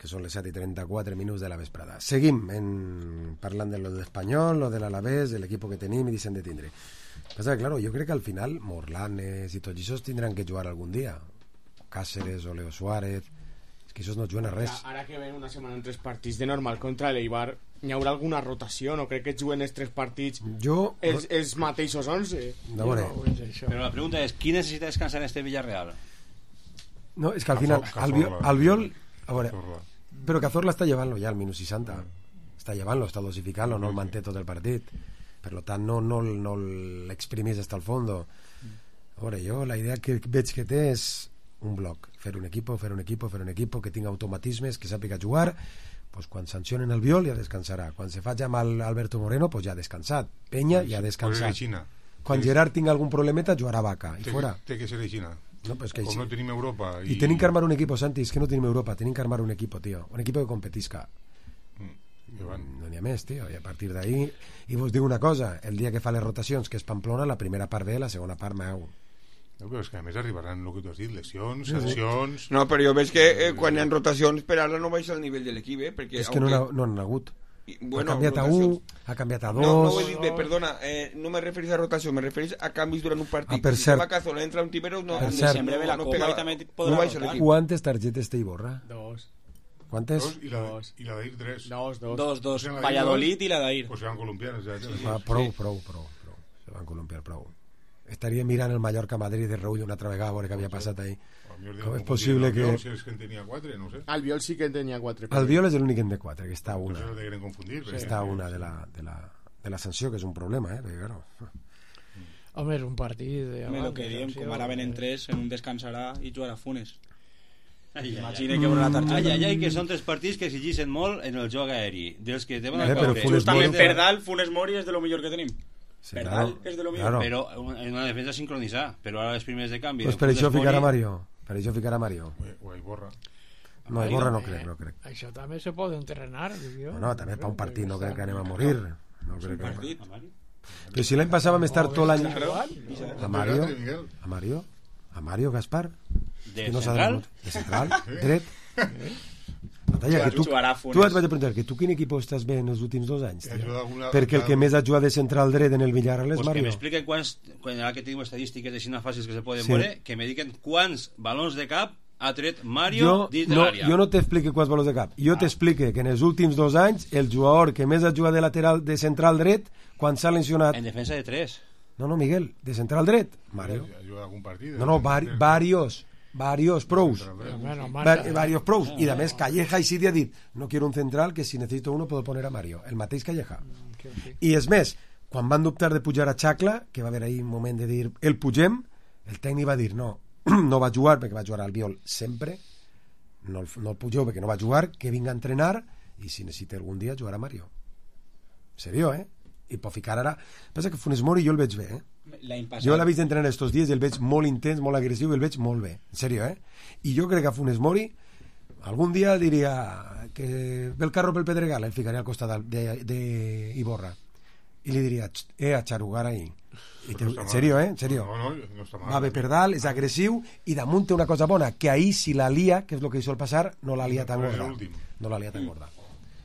Que són les 7:34 de la vesprada. Seguim parlant de lo de l'Espanyol, lo de l'Alavés, de l'equip que tenim i deixem de tindre. Passa que, claro, jo crec que al final Morlanes i tots aquests tindran que jugar algun dia. Cáceres o Leo Suárez. És que aquests no juguen a res. Ara que ven una setmana en 3 partits de normal contra l'Eibar, hi haurà alguna rotació? No crec que juguen els 3 partits els mateixos 11. No, Però la pregunta és, qui necessita descansar en este Villarreal? No, és que al final Albiol... A veure, però Cazorla està llevant-lo ja al minut 60. Està llevant-lo, està dosificant-lo, no el manté tot el partit. Per tant, no l'exprimis hasta el fondo. A veure, jo la idea que veig que té és un bloc. Fer un equipo que tingui automatismes, que sàpiga jugar. Pues quan sancionen el Biol ja descansarà. Quan se faci amb Alberto Moreno, pues ja ha descansat. Penya ja ha descansat. Quan Gerard tingui algun problemeta, jugarà Vaca. I fora. Té que ser aixina. No, pues que com no tenim Europa i tenim que armar un equipo, Santi, és que no tenim Europa, tenim que armar un equipo, tío, un equipo que competisca. No n'hi ha més, tío, i a partir d'ahí i vos dic una cosa, el dia que fa les rotacions, que és Pamplona, la primera part ve, la segona part meu. No, però és que a més arribaran el que tu has dit, lesions, sancions... No, però jo veig que quan hi ha rotacions per ara no baixa el nivell de l'equip, perquè... És que no n'han hagut. Bueno, ha canviat a 1, ha canviat a 2... No ho he dit bé, perdona, no me referís a rotació, me referís a canvis durant un partit. Per cert, si Cazola entra un Tibero, no baixa l'equip. ¿Cuántas tarjetes te borra? 2. ¿Cuántas? 2 i la d'Air 3. 2. Valladolid i la d'Air. Pues se van columpiar. Prou. Se van columpiar prou. Estaria mirant el Mallorca-Madrid de Reull una altra vegada a veure què havia passat ahí. Com és possible que... Si és que en tenia 4, no sé. Albiol sí que en tenia 4. Albiol és l'únic en té 4, que està una. Pues no te confundir. Està una de la sanció, que és un problema, perquè claro... Home, és un partit... El que diem, com ara venen 3, en un descansarà i jugarà Funes. Imagina que haurà la targeta. Ai, que són 3 partits que exigeixen molt en el joc aèri. Dels que deuen caure. Justament per dalt, Funes Mori és de lo millor que tenim. Sí, per dalt és de lo millor. Però en una defensa sincronitzada. Però ara les primeres de canvi... Pues per això ficarà Mario. Per això ficarà Mario. O Iborra. No, Iborra no crec. Això també se pot entrenar. No, també per un partit no crec que anem a morir. No crec que... Però si l'any passat vam estar tot l'any... A Mario Gaspar? De Que no s'ha central? de central, dret. Natalia, que tu et vaig a preguntar, que tu quin equip estàs bé en els últims 2 anys? Perquè el que més ha jugat de central dret en el Villarreal és Pues Mario. que m'expliquen quants, quan que tinc estadístiques així fàcils que se poden veure, que me diuen quants balons de cap ha tret Mario dins de l'àrea. Jo no t'explique quants valors de cap. Jo t'explique que en els últims 2 anys el jugador que més ha jugat de lateral de central dret, quan s'ha lesionat... En defensa de 3. No, Miguel, de central dret, Mario. Ha jugat algun partit. No, varios prous. Varios prous. Y además Calleja y Sidi ha dit, no quiero un central, que si necesito uno puedo poner a Mario. El mateix Calleja. I és més, quan van dubtar de pujar a Xacla, que va haver ahí un moment de dir el pugem, el tècnic va dir no, no va jugar perquè va jugar al Albiol sempre, no el pugeu perquè no va jugar, que vinga a entrenar i si necessita algun dia jugarà Mario. Serio, I pot ficar ara... Passa que Funes Mori jo el veig bé, Jo l'he vist entrenar estos dies i el veig molt intens, molt agressiu i el veig molt bé, en serio, I jo crec que a Funes Mori algun dia diria que ve el carro pel Pedregal, el ficaria al costat d'Iborra i li diria, a xarugar ahí. En serio, en serio. No està mal. Va bé per dalt, és agressiu i damunt té una cosa bona, que ahir si la lia, que és el que hi sol passar, no la lia tan gorda. No la lia tan gorda.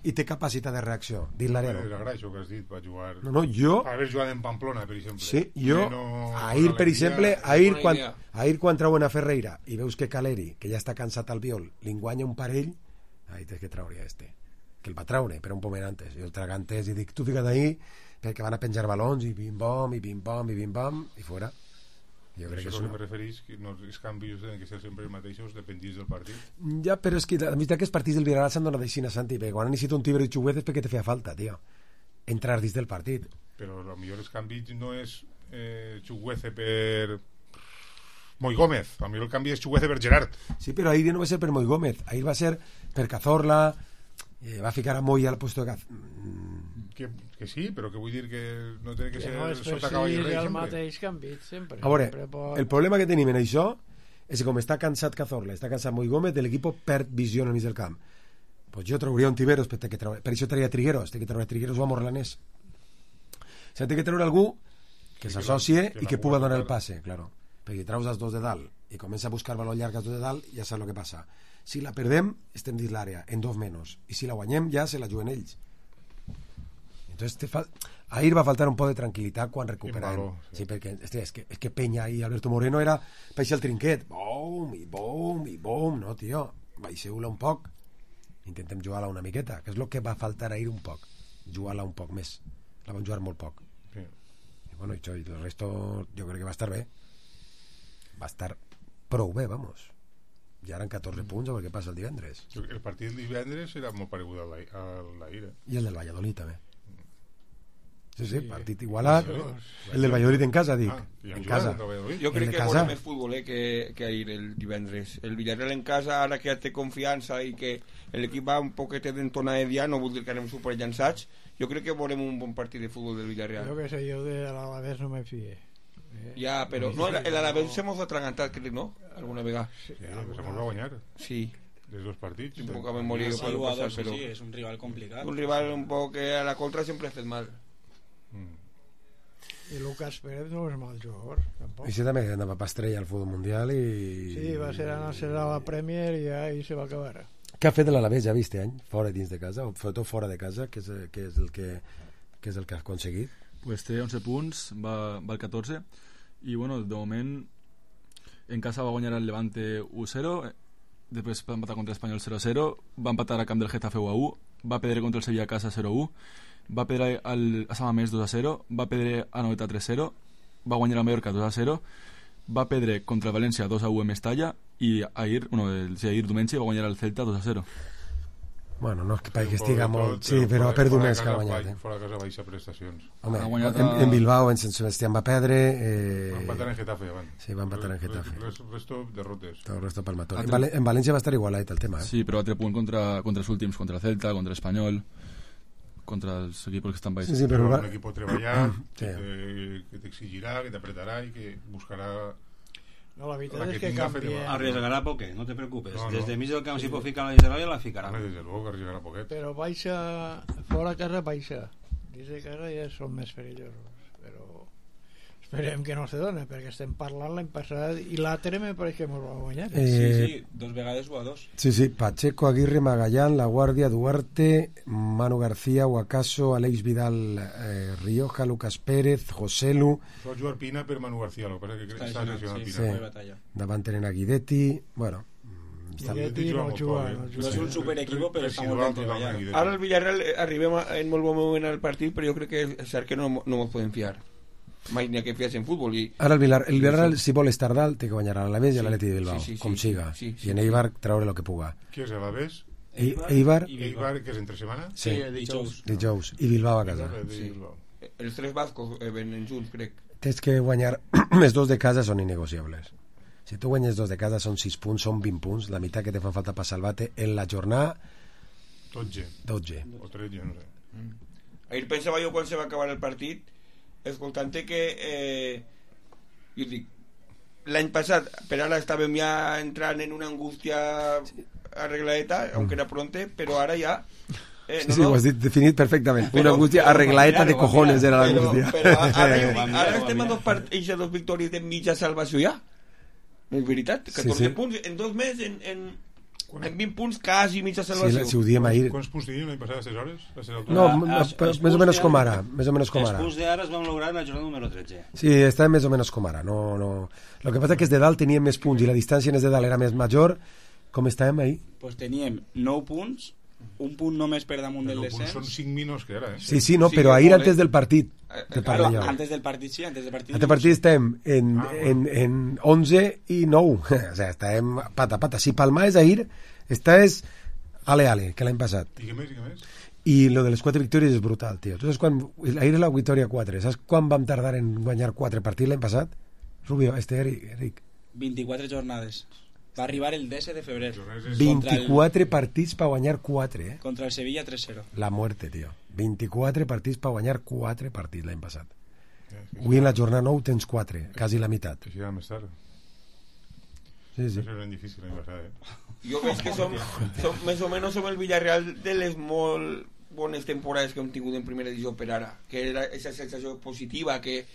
I té capacitat de reacció. Dit l'Ariano. Era això que has dit, va jugar... No, jo... Va haver jugat en Pamplona, per exemple. Sí, jo... Ahir, per exemple, ahir quan trauen a Ferreira i veus que Caleri, que ja està cansat al Biol, li enguanya un parell, ahí tens que traure que el va traure, però un pomer antes. Jo el traga antes i dic, tu fica't ahí, perquè van a penjar balons i bim-bom, i bim-bom, i bim-bom, i fora. Jo crec que això que me referís, que els canvis tenen que ser sempre els mateixos, dependís del partit. Ja, però és que la veritat que els partits del Villarreal s'han donat així a Santi, perquè quan han necessitat un Tíber i Chuguez és perquè te feia falta, tio, entrar dins del partit. Però potser els canvis no és Chuguece per Moi Gómez, potser el canvi és Chuguece per Gerard. Sí, però ahir no va ser per Moi Gómez, ahir va ser per Cazorla, va ficar a Moi al puesto de que sí, però que vull dir que no té que ser no és sota cavall rei el mateix canvi sempre. A veure, el problema que tenim en això és que com està cansat Cazorla, està cansat Moi Gómez, l'equip perd visió al mig del camp. Pues jo trauria un Tiberos, per això traia Trigueros, té que treure Trigueros o a Morlanés. S'ha de treure algú que s'associe i que pugui donar el passe, claro. Perquè traus els dos de dalt i comença a buscar valor llarg als dos de dalt, ja saps el que passa. Si la perdem, estem dins l'àrea, en 2 menys. I si la guanyem, ja se la juguen ells. Entonces ahir va faltar un poc de tranquil·litat quan recuperem. Sí, perquè és que Peña i Alberto Moreno era paixar el trinquet. Bom, i bom, i bom. No, tio, baixeu-la un poc. Intentem jugar-la una miqueta, que és el que va faltar ahir un poc. Jugar-la un poc més. La van jugar molt poc. Sí. I bueno, i el resto jo crec que va estar bé. Va estar prou bé, vamos. Ja eren 14 punts a veure què passa el divendres. El partit del divendres era molt paregut a l'ahir. I el del Valladolid també. Sí, partit igualat. El del Valladolid en casa, dic. En casa. Jo crec que veurà més futbol que ahir el divendres. El Villarreal en casa, ara que ja té confiança i que l'equip va un poquet d'entonada ja, no vull dir que anem superllançats, jo crec que veurem un bon partit de futbol del Villarreal. Jo que sé, jo de l'Alavés no me fie. Ja, però no, l'Alavés s'hemos atragantat, crec, no? Alguna vegada. Sí, s'hemos va guanyar. Sí. De 2 partits. Un poc a memòria que pot passar, però... Sí, és un rival complicat. Un rival un poc que a la contra sempre ha fet mal. I Lucas Pérez no és mal jugador tampoc. I sí, també anava pa estrella al futbol mundial i... Sí, va ser a la Premier i ahí se va acabar. Què ha fet l'Alavés ja vist any? Fora dins de casa, o sobretot fora de casa, que és el que ha aconseguit? Pues té 11 punts, va al 14 i bueno, de moment en casa va guanyar el Levante 1-0, després va empatar contra l'Espanyol 0-0, va empatar a camp del Getafe 1-1, va perdre contra el Sevilla a casa 0-1, va perdre a Samamés 2-0, va perdre a Noeta 3-0, va guanyar a Mallorca 2-0, va perdre contra el València 2-1 en Mestalla i ahir diumenge va guanyar el Celta 2-0. Bueno, no és que estiga molt... Sí, però ha perdut més que ha guanyat. Fora de casa baixa prestacions. Home, en Bilbao, en Sant Sebastián va perdre... Va empatar en Getafe, abans. Sí, va empatar en Getafe. El resto derrotes. El resto palmatón. En València va estar igualat el tema, Sí, però altre punt contra els últims, contra el Celta, contra l'Espanyol, contra els equipos que estan baix. Sí, però un equip treballar, que t'exigirà, que t'apretarà i que buscarà... No, la veritat és que canvia. Arriesgarà poquet, no te preocupes. No. Des de mig del camp si pot ficar la Israel la ficarà. Des de luego que arriesgarà poquet. Però baixa, fora casa baixa. Dins de casa ja són més perillosos. Però Esperem que no se doni, perquè estem parlant l'any passat i l'altre me pareix que ens va guanyar. Sí, 2 vegades o a 2. Sí, Pacheco, Aguirre, Magallán, La Guardia, Duarte, Manu García, Huacaso, Aleix Vidal, Rioja, Lucas Pérez, Joselu. Sol jugar Pina per Manu García, el que passa que està lesionat Pina. Sí. Davant tenen a Guidetti, bueno... Guidetti no juga. No és un superequipo, però està molt ben treballat. Ara el Villarreal arribem en molt bon moment al partit, però jo crec que és cert que no ens podem fiar. Mai n'hi ha que fiar-se en futbol. Ara el Villarreal, si vol estar dalt, té que guanyar a l'Alavés i a l'Atleti de Bilbao, com siga. I en Eibar treure el que puga. Qui és l'Alavés? Eibar, que és entre setmana? Sí, dijous. I Bilbao a casa. Els 3 bascos venen junts, crec. Tens que guanyar, els 2 de casa són innegociables. Si tu guanyes 2 de casa són 6 punts, són 20 punts, la meitat que te fan falta per salvar-te en la jornada 12 o 13, no sé. Ahir pensava jo quan se va acabar el partit, escoltant-te que jo dic, l'any passat per ara estàvem ja entrant en una angústia arregladeta, aunque era pronte, però ara ja sí, ho has dit definit perfectament. Una angústia arregladeta de cojones era l'angústia. Però ara estem a 2 victòries de mitja salvació ja. És veritat, 14 punts en 2 mesos, en 20 punts quasi mitja salvació. Si ho diem ahir. Quants punts tenim l'any passat a aquestes hores? No, més o menys com ara. Els punts d'ara es van lograr en la jornada número 13. Sí, està més o menys com ara. No. Lo que passa és que de dalt teníem més punts i la distància en de dalt era més major. Com estàvem ahir? Pues teníem 9 punts, un punt només per damunt del descens. Són 5 minuts que era, Sí, no, però ahir antes del partit. Claro, antes del partit sí, antes del partit. Antes del partit estem en 11 i 9. O sea, estem pata. Si Palma és ahir, estàs ale, que l'any passat. I què més? I lo de les 4 victòries és brutal, tio. Tu saps quan... Ahir és la victòria 4. Saps quan vam tardar en guanyar 4 partits l'any passat? Rubio, Eric. 24 jornades. Va arribar el 10 de febrer. 24 partits per guanyar 4, Contra el Sevilla 3-0. La muerte, tio. 24 partits per guanyar 4 partits l'any passat. Avui en la jornada 9 tens 4, quasi la meitat. Que serà més tard. Sí. Això era difícil l'any passat, Jo veig que som més o menys som el Villarreal de les molt bones temporades que hem tingut en primera divisió per ara, que era aquesta sensació positiva que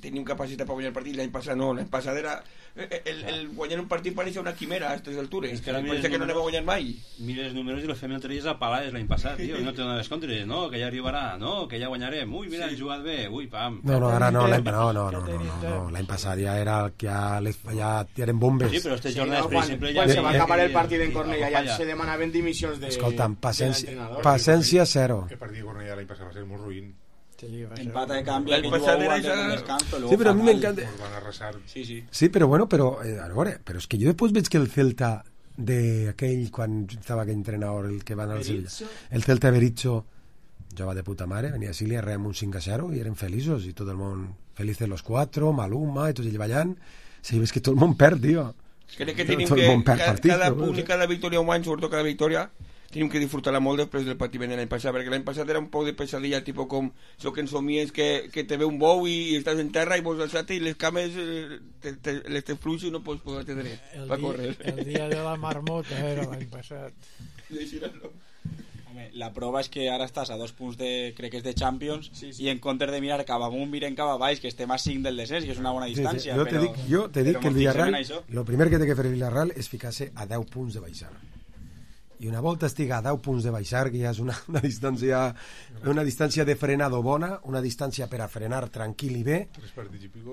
tenim capacitat per guanyar el partit. L'any passat no, l'any passat era el guanyar un partit pareixia una quimera a aquestes altures, pareixia que no anem a guanyar mai. Mira els números i los fem entre ells a palades l'any passat, tio, no te dones compte, no, que ja arribarà, no, que ja guanyarem, ui, mira, han jugat bé, ui, pam. No, ara no, l'any passat ja era que ja eren bombes. Sí, però este jornada per exemple quan se va acabar el partit en Cornellà ja se demanaven dimissions de... Escolta'm, paciència zero. El partit de Cornellà l'any passat va ser molt ruïn. Empata de cambio, l'any passat era sí, però a mi m'encanta. Sí, però bueno, però és que jo després veig que el Celta d'aquell, quan estava aquell entrenador, el que va anar al Sevilla, el Celta Berizzo jugava de puta mare, venia a Silia, reem un 5-0 i eren feliços, i tot el món felices los 4, Maluma, i tots ells ballant. Sí, ves que tot el món perd, tio. Crec que tenim que cada punt i cada victòria un any, sobretot cada victòria, tenim que disfrutar-la molt després del patiment de l'any passat, perquè l'any passat era un poc de pesadilla, tipus com això que ensomies que te ve un bou i estàs en terra i vols alçar-te i les cames les te fluixes i no pots posar-te dret per córrer. El dia de la marmota era l'any passat. Home, la prova és que ara estàs a 2 punts crec que és de Champions, i en comptes de mirar cap amunt miren cap a baix, que estem a 5 del descens, que és una bona distància. Jo te dic que el Villarreal, el primer que té que fer el Villarreal és ficar-se a 10 punts de baixar. I una volta estigui a 10 punts de baixar, que ja és una distància de frenado bona, una distància per a frenar tranquil i bé,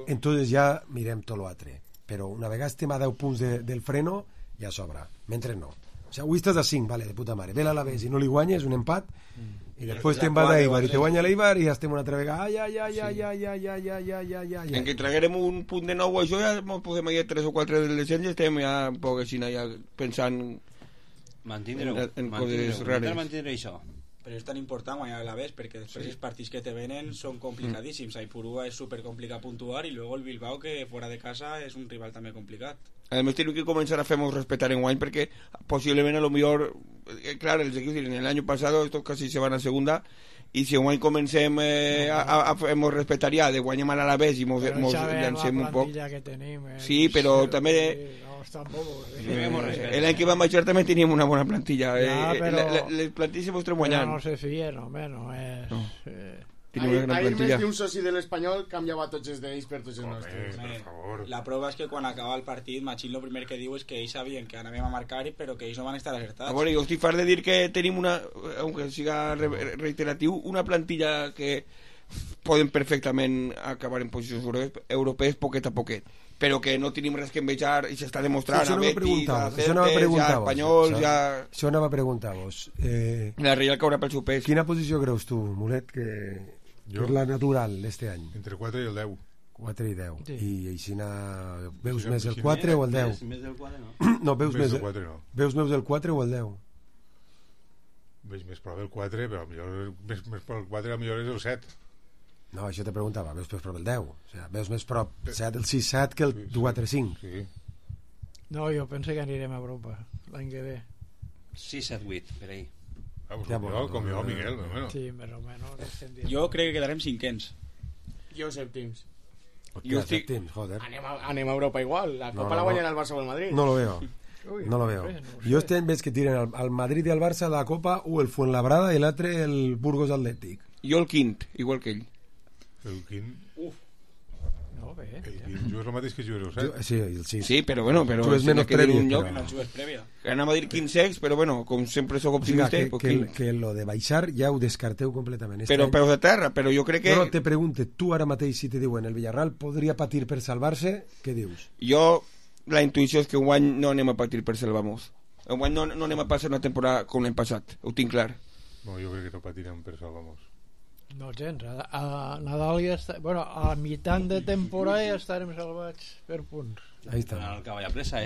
entonces ja mirem tot l'altre. Però una vegada estem a 10 punts del freno, ja sobra. Mentre no. O sigui, avui estàs a 5, vale, de puta mare. Ve l'Alavés i no li guanyes, un empat, i després te'n vas a Eibar i te guanya l'Eibar i ja estem una altra vegada. En que traguerem un punt de nou, això ja podem ir 3 o 4 del descens i estem ja un poc així, ja pensant en coses rares. Això. Però és tan important guanyar l'Alavés perquè després els partits que te venen són complicadíssims. A Ipurúa és supercomplicat puntuar i luego el Bilbao, que fora de casa és un rival també complicat. A més tenim que començar a fer-nos respetar en guany perquè possiblement a lo millor clar, els equips en el año pasado estos casi se van a segunda i si en guany comencem a fer-nos respetar ja de guanyar a l'Alavés i mos llancem un poc sí, però també l'any que vam baixar també teníem una bona plantilla les plantilles se mostren guanyant no se fien, home, no és Tenim una gran Ahir plantilla. més d'un soci de l'Espanyol canviava tots els d'ells per tots els nostres. Per favor. La prova és que quan acaba el partit, Machín lo primer que diu és que ells sabien que anàvem a marcar però que ells no van estar acertats. A veure, jo estic fart de dir que tenim una, aunque siga reiteratiu, una plantilla que poden perfectament acabar en posicions europees poquet a poquet, però que no tenim res que envejar i s'està demostrant a Betis, a Celtes, a Espanyol, ja... Això anava a preguntar-vos. La Real caurà pel seu pes. Quina posició creus tu, Mulet, que és la natural este any? Entre 4 i el 10. 4 i 10. Sí. I així veus més el 4 o el 10? Més del 4, no? No, veus Més més del 4, no. Veus més el 4 o el 10? Veig més prop del 4, però millor, més prop del 4 millor és el 7. No, això te preguntava, veus més prop el 10? O sigui, veus més prop el 6-7 que el 4-5? Sí. No, jo penso que anirem a Europa l'any que ve. 6-7-8, per ahí. Com jo, Miguel. Bueno. Sí, més o menys. Jo crec que quedarem cinquens. Jo sèptims. Jo estic... joder. Anem a Europa igual. La Copa la guanyen el Barça o el Madrid. No lo veo. No lo veo. Jo este any veig que tiren al Madrid i al Barça la Copa o el Fuenlabrada i l'altre el Burgos Atlètic. Jo el quint, igual que ell. El quint... No, bé. El quint jugues el mateix que jugues el 7. Sí, el 6. Sí, però bueno, però jugues menys prèvia. No jugues prèvia. Anem a dir 15, però bueno, com sempre sóc optimista... O sigui, que lo de baixar ja ho descarteu completament. Però peus de terra, però jo crec que... No, te pregunte, tu ara mateix si te diuen el Villarreal podria patir per salvar-se, què dius? Jo, la intuïció és que enguany no anem a patir per salvar-nos. Enguany no anem a passar una temporada com l'any passat, ho tinc clar. No, jo crec que no patirem per salvar-nos. No gens, a Nadal ja està... Bueno, a mitjan de temporada ja estarem salvats per punts. Ahí està. El cavall a pressa,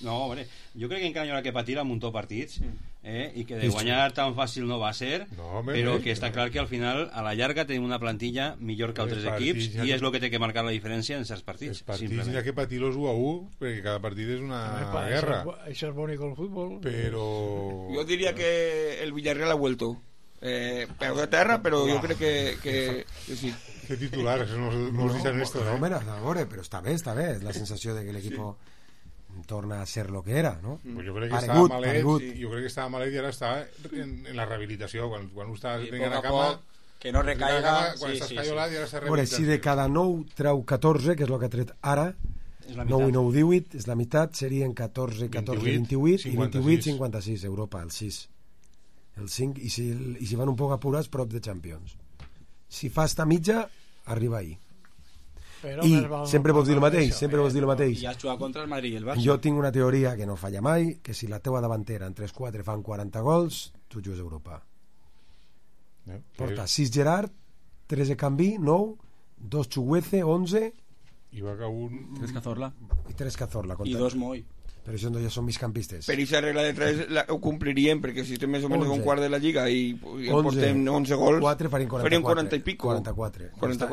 No, hombre, jo crec que encara hi haurà que patir a muntó partits, i que de guanyar tan fàcil no va ser, però que està clar que al final, a la llarga, tenim una plantilla millor que altres equips i és el que té que marcar la diferència en certs partits. Els partits hi ha que patir-los 1-1, perquè cada partit és una guerra. Això és bonic el futbol. Però... Jo diria que el Villarreal ha vuelto. Peu de terra, però jo crec que sí. Que titular, no els dicen esto, no? Mira, però està bé, és la sensació de que l'equip torna a ser lo que era, no? Pues jo crec que estava malet, jo crec que estava malet i ara està en la rehabilitació, quan ho estàs venint a cama, que no recaiga, quan estàs caiolat i ara està rehabilitació. Si de cada 9 treu 14, que és el que ha tret ara, 9 i 9, 18, és la meitat, serien 14, 14, 28 i 28, 56, Europa, el 6. El 5, i si van un poc apurats, prop de Champions. Si fa esta mitja, arriba ahí. I sempre vols dir el mateix, I has jugat contra el Madrid i el Barça. Jo tinc una teoria que no falla mai, que si la teua davantera en 3-4 fan 40 gols, tu jugues a Europa. Porta 6 Gerard, 13 Canví, 9, 2 Chuguece, 11 i va que un... 3 Cazorla i 3 Cazorla i 2 Moi. Però això ja són migcampistes. Per aquesta regla de 3 ho compliríem, perquè si estem més o menys un quart de la Lliga i portem 11 gols, 4 farien 40 i pico. 44.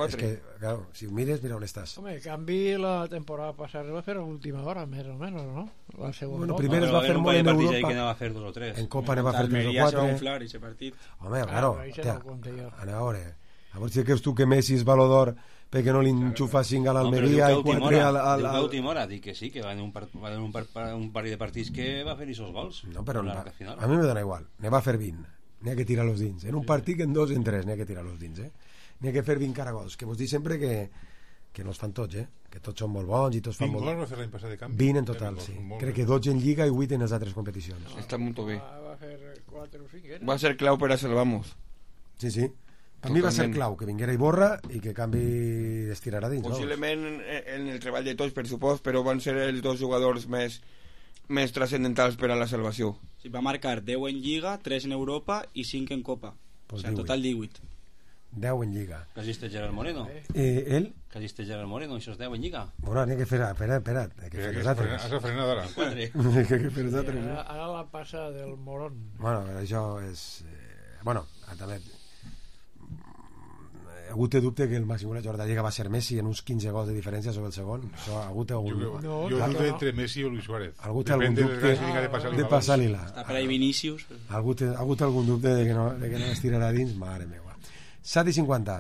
És que, claro, si ho mires, mira on estàs. Home, canvi la temporada passada es va fer a l'última hora, més o menys, no? La segona. Bueno, primer es va fer molt en Europa. Que va fer 2 o 3. En Copa ne va fer 3 o 4. Se va inflar ese partit. Home, claro. Anem a veure. A veure si creus tu que Messi és Baló d'Or perquè no li enxufa 5 a l'Almeria i 4 al... A l'última hora, dic que sí, que va en un parell de partits que va fer aquests gols. No, però a mi me dona igual. Ne va fer 20. N'hi ha que tirar los dins. En un partit que en 2 en 3 n'hi ha que tirar los dins, N'hi ha que fer 20 caragols. Que vos dic sempre que no es fan tots, que tots són molt bons i tots fan molt... 20 gols va fer l'any passat de canvi. 20 en total, sí. Crec que 12 en Lliga i 8 en les altres competicions. Està molt bé. Va fer 4 o 5, Va ser clau per a salvar-nos. Sí. A mi va ser clau que vinguera Iborra i que canvi estirarà dins. Possiblement en el treball de tots, per supost, però van ser els 2 jugadors més transcendentals per a la salvació. Sí, va marcar 10 en Lliga, 3 en Europa i 5 en Copa. Pues en total 18. 10 en Lliga. Que hagis Gerard Moreno. ¿Él? Que hagis Gerard Moreno, això és 10 en Lliga. Bueno, n'hi ha que fer... Espera. Hay que fer els altres. Has frenat ara. Hay que fer els altres. Ara la passa del Morón. Bueno, això és... Bueno, també... Ha hagut de dubte que el màxim golejador de la Lliga va ser Messi en uns 15 gols de diferència sobre el segon. Això ha hagut algun... Jo dubte entre Messi i Luis Suárez. Ha hagut algun dubte de passar-li-la. Està per ahí Vinícius. Ha hagut algun dubte de que no estirarà dins. Madre meva. 7:50.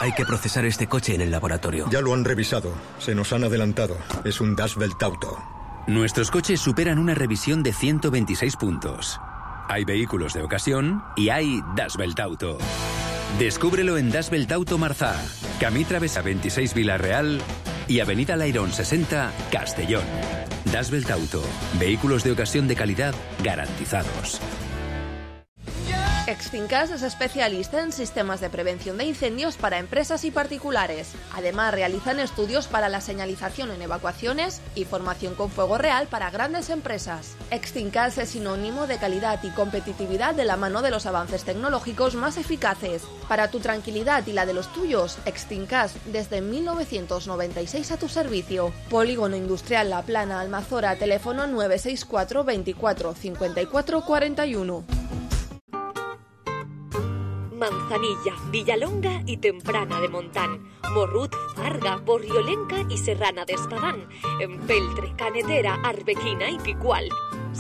Hay que procesar este coche en el laboratorio. Ya lo han revisado. Se nos han adelantado. Es un Das Welt Auto. Nuestros coches superan una revisión de 126 puntos. Hay vehículos de ocasión y hay Das Welt Auto. Descúbrelo en Das Belt Auto Marzá, Camí Travesa 26 Vila-real y Avenida Lairón 60 Castellón. Das Belt Auto, vehículos de ocasión de calidad garantizados. Extincas es especialista en sistemas de prevención de incendios para empresas y particulares. Además, realizan estudios para la señalización en evacuaciones y formación con fuego real para grandes empresas. Extincas es sinónimo de calidad y competitividad de la mano de los avances tecnológicos más eficaces. Para tu tranquilidad y la de los tuyos, Extincas desde 1996 a tu servicio. Polígono Industrial La Plana, Almazora, teléfono 964 24 54 41. Manzanilla, Villalonga y Temprana de Montán, Morrut, Farga, Borriolenca y Serrana de Espadán, Empeltre, Canetera, Arbequina y Picual.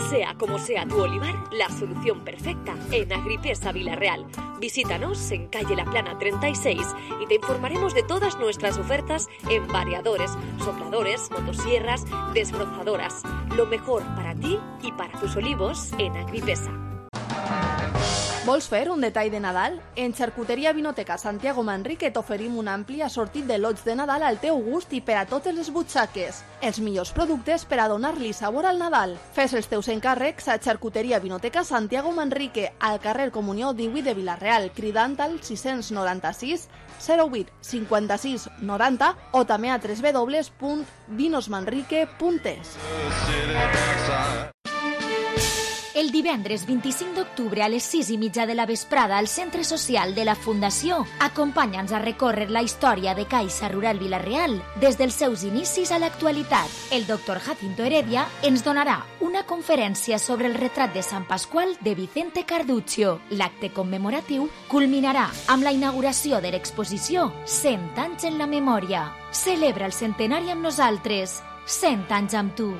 Sea como sea tu olivar, la solución perfecta en Agripesa Vila-real. Visítanos en calle La Plana 36 y te informaremos de todas nuestras ofertas en variadores, sopladores, motosierras, desbrozadoras. Lo mejor para ti y para tus olivos en Agripesa. Vols fer un detall de Nadal? En Xarcuteria Vinoteca Santiago Manrique t'oferim un ampli assortit de lots de Nadal al teu gust i per a totes les butxaques. Els millors productes per a donar-li sabor al Nadal. Fes els teus encàrrecs a Xarcuteria Vinoteca Santiago Manrique, al carrer Comunió 18 de Vila-real, cridant al 696 08 56 90 o també a www.vinosmanrique.es. El divendres 25 d'octubre a les 6:30 de la vesprada al Centre Social de la Fundació, acompanya'ns a recórrer la història de Caixa Rural Vila-real des dels seus inicis a l'actualitat. El doctor Jacinto Heredia ens donarà una conferència sobre el retrat de Sant Pasqual de Vicente Carduccio. L'acte commemoratiu culminarà amb la inauguració de l'exposició 100 anys en la memòria. Celebra el centenari amb nosaltres. 100 anys amb tu.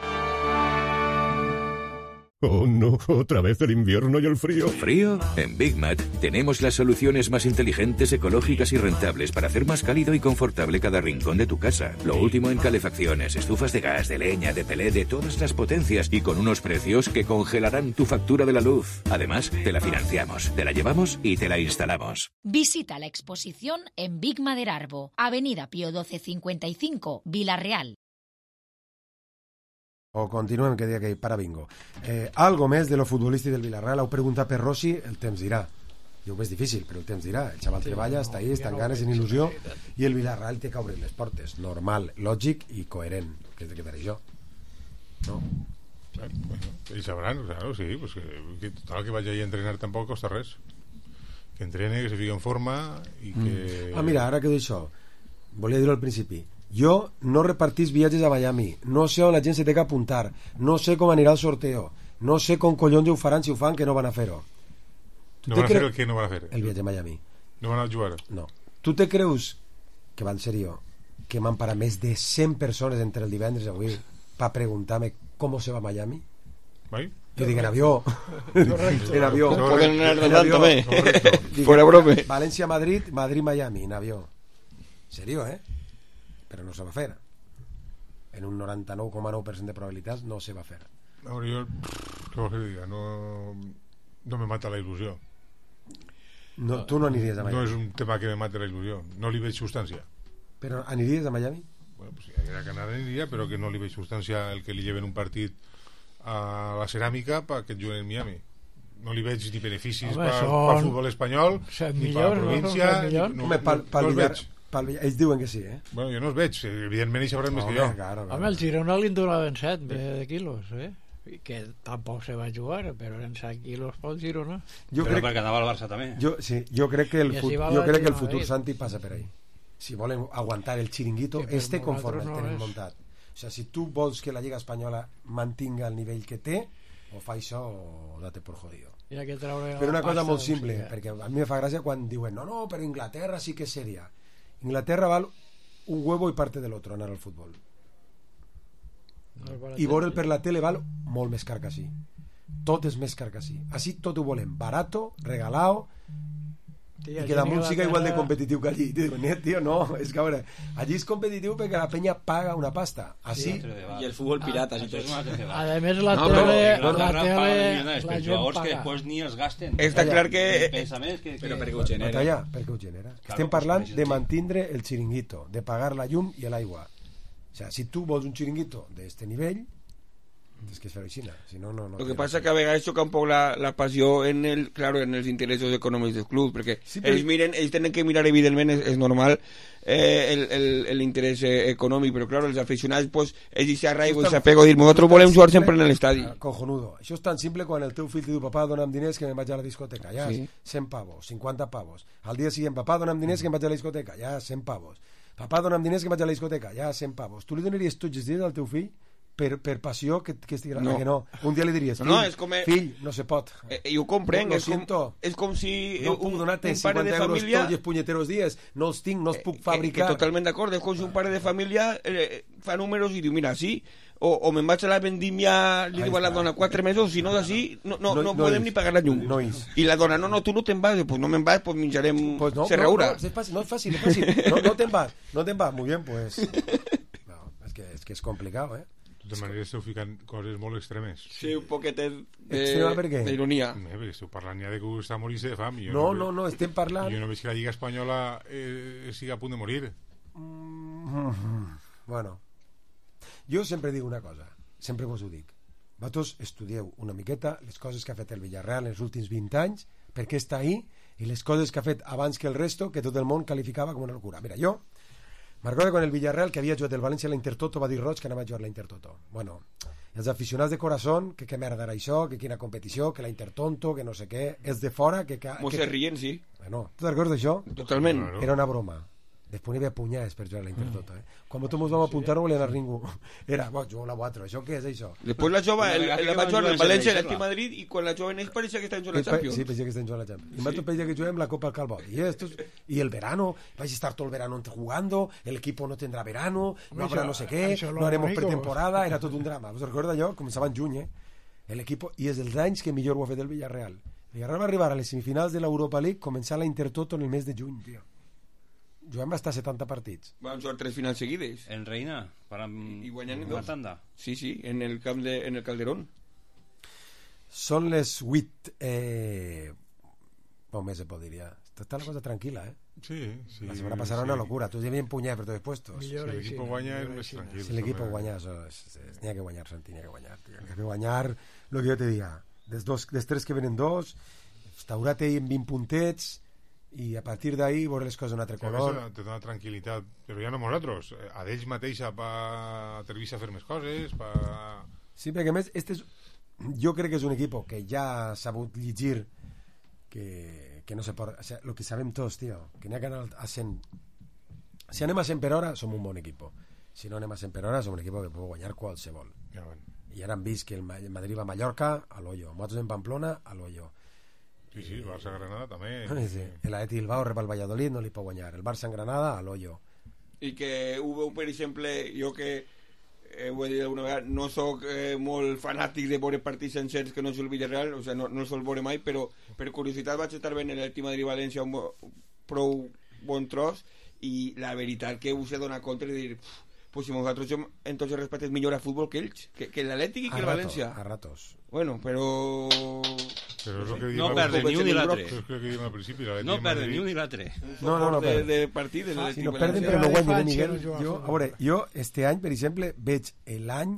Oh no, otra vez el invierno y el frío. ¿Frío? En Big Mat tenemos las soluciones más inteligentes, ecológicas y rentables para hacer más cálido y confortable cada rincón de tu casa. Lo último en calefacciones, estufas de gas, de leña, de pelé, de todas las potencias y con unos precios que congelarán tu factura de la luz. Además, te la financiamos, te la llevamos y te la instalamos. Visita la exposición en Big Mat Arbo, Avenida Pío 1255, Vila-real. O continuem, que dia que para bingo. Algo més de lo futbolístic del Villarreal. Heu preguntat per Rossi, el temps dirà. Jo ho veig difícil, però el temps dirà. El xaval treballa, està ahí, està en ganes, en il·lusió, i el Villarreal té que obrir les portes. Normal, lògic i coherent, que és de que per això. No? Bueno, ells sabran, claro, sí, pues que total que vaya ahí a entrenar tampoc costa res. Que entrene, que se fique en forma i que... Mira, ara que dic això, volia dir-ho al principi. Jo no repartís viatges a Miami, no sé on la gent se té que apuntar, no sé com anirà el sorteo, no sé com collons ho faran, si ho fan, que no van a fer-ho. No van a fer el que no van a fer? El viatge a Miami. No van a jugar? No. Tu te creus, que va en serio, que m'han parat més de 100 persones entre el divendres i avui per preguntar-me com se va a Miami? ¿Vai? Jo dic en avió. En avió. Poden anar nadant també. Fuera brome. València-Madrid, Madrid-Miami, en avió. Serio, però no se va fer. En un 99,9% de probabilitats no se va fer. Ahora yo, ¿qué vols que diga? No me mata la il·lusió. No, tu no aniries a Miami. No és un tema que me mate la il·lusió. No li veig substància. Però aniries a Miami? Bueno, pues si haguera que anar aniria, però que no li veig substància el que li lleven un partit a la ceràmica perquè juguen en Miami. No li veig ni beneficis per futbol espanyol, ni per la província. No els veig. Ells diuen que sí, Bueno, jo no els veig, evidentment ells sabran més que jo. Home, el Girona li donaven 7 de quilos, que tampoc se va jugar, però en 7 quilos pel Girona. Però perquè anava al Barça també. Jo crec que el futur Santi passa per ahí. Si volen aguantar el chiringuito, conforme el tenen muntat. O sea, si tu vols que la Lliga Espanyola mantinga el nivell que té, o fa això o date por jodido. Però una cosa molt simple, perquè a mi me fa gràcia quan diuen no, però Inglaterra sí que és seria. Inglaterra val un huevo y parte del otro anar al futbol. I veure'l per la tele val molt més car que així. Tot és més car que així. Així tot ho volem barato, regalado, Tia, i que damunt allí siga igual de Inglaterra- competitiu que allí. Dic, net, tio, no, és que a veure, allí és competitiu perquè la penya paga una pasta. Així... I el futbol pirata, si tots. A més, la No, tele, però la tele, els la gent jugadors que paga. després ni els gasten. Està clar que... Però perquè ho genera. Batalla, perquè ho genera. Estem parlant de mantindre el xiringuito, de pagar la llum i l'aigua. O sea, si tu vols un xiringuito d'este nivell, tens que fer-ho així, si no, no... Lo que pasa que a vegades choca un poco la pasión en el, claro, en els interessos econòmics del club, perquè Sí, però- ells tenen que mirar, evidentment, és normal, l'interès econòmic, però claro, els aficionats, pues, ells s'arraigo i s'apego a dir, nosaltres volem jugar sempre en l'estadi. Cojonudo. Això és tan simple quan el teu fill diu, papà, dona'm diners que me'n vaig a la discoteca. Ja, Sí. 100 pavos, 50 pavos. Al dia següent, papà, dona'm diners que me'n vaig a la discoteca. Ja, 100 pavos. Papà, dona'm diners que me'n vaig a la discoteca. Ja, 100 pavos. Tu li donaries tots els dies al teu fill per passió que estigui... No. Que no. Un dia li diries, fill, No, és com... fill, no se pot. I ho comprenc, Lo siento. és com si No puc donar-te un pare 50 de euros família... tots els punyeteros dies. No els tinc, no els puc Que fabricar. totalment d'acord, és com si un pare de família fa números i diu, mira, sí, o me'n vaig a la vendimia, li diu a la dona 4 mesos, si no d'ací no podem ni pagar la llum. No és. I la dona, no, tu no te'n vas, pues no me'n vas, pues menjarem Pues no, serraura. no, es fácil. No te vas, muy bien, pues. No, es que es complicado, ¿eh? De totes maneres esteu ficant coses molt extremes. Sí, un poquetet Extrema per què? d'ironia. Perquè esteu parlant ja de que està morint-se de fam. No, estem parlant... Jo no veig que la Lliga Espanyola sigui a punt de morir. Bueno, jo sempre dic una cosa, sempre vos ho dic. Vosaltres estudieu una miqueta les coses que ha fet el Villarreal en els últims 20 anys, per què està ahí, i les coses que ha fet abans que el resto, que tot el món qualificava com una locura. Mira, jo m'acordo quan el Villarreal, que havia jugat el València a la Intertoto, va dir Roig que anava a jugar a la Intertoto. Bueno, els aficionats de corazón, que merda era això, que quina competició, que la Intertonto, que no sé què, els de fora... que Mos se rient, sí. Bueno, tu te'n recordes d'això? Totalment. Era una broma. Després n'hi havia punyades per jugar a la Intertoto, Quan nosaltres ens vam apuntar no volien anar ningú. Era, bo, jugo la 4, això què és això? Després la jove, la va jugar el València, l'Atlètic Madrid, i quan la jove neix pareixia que estan jugant la Champions. Sí, pareixia que estan jugant la Champions. Y Mato pensa que juguem la Copa al Calvo. Y el verano, vais a estar todo el verano jugando, el equipo no tendrá verano, no habrá no sé qué, no haremos pretemporada, era tot un drama. Us recorda allò? Començava en juny, El equipo, i és dels anys que millor ho ha fet el Villarreal. El Villarreal va arribar a les semifinals de l'Europa League, començar la Intertoto en el mes de juny, tio. Juguem hasta 70 partits. Van jugar 3 finals seguides. En Reina, i guanyant una dos. tanda. Sí, en el camp en el Calderón. Són les 8... Bon mes se podria. Està la cosa tranquil·la, Sí. La setmana passada era una locura. Tu ja havien punyat per tots els puestos. Si l'equip guanya és més tranquil. Si l'equip guanya, n'hi ha que guanyar, Santi, n'hi ha que guanyar. N'hi ha que guanyar, el que jo te diga. Dels 3 que venen 2, estaurate en 20 puntets, i a partir d'ahí veure les coses d'un altre color. Te dona tranquil·litat, però ja no nosaltres, a d'ells mateixa per atrevir-se a fer més coses, per... Sí, perquè a més jo crec que és un equip que ja ha sabut llegir que no se pot, o sea, lo que sabem tots, tio, que n'hi ha que anar a 100. Si anem a 100 per hora som un bon equip, si no anem a 100 per hora som un equip que pot guanyar qualsevol. I ara hem vist que el Madrid va a Mallorca, a l'hoyo, nosaltres en Pamplona, a l'hoyo. Sí, el Barça Granada també. Sí. L'Atleti Bilbao rep el Valladolid, no li pot guanyar. El Barça en Granada, a l'hoyo. I que ho veu, per exemple, jo que ho he dit alguna vegada, no sóc molt fanàtic de veure partits sencers que no és el Villarreal, o sigui, no el sol veure mai, però per curiositat vaig estar veient l'Atleti Madrid-València un prou bon tros, i la veritat que us he donat compte de dir, pues si nosaltres som en tots els respectes millor a futbol que ells, que l'Atlètic i que el València. A ratos. Bueno, però... No perden ni un ni l'altre. No perden ni un ni l'altre. No perden. De partit, si no perden, però no guanyen, Miguel. Jo, este any, per exemple, veig l'any,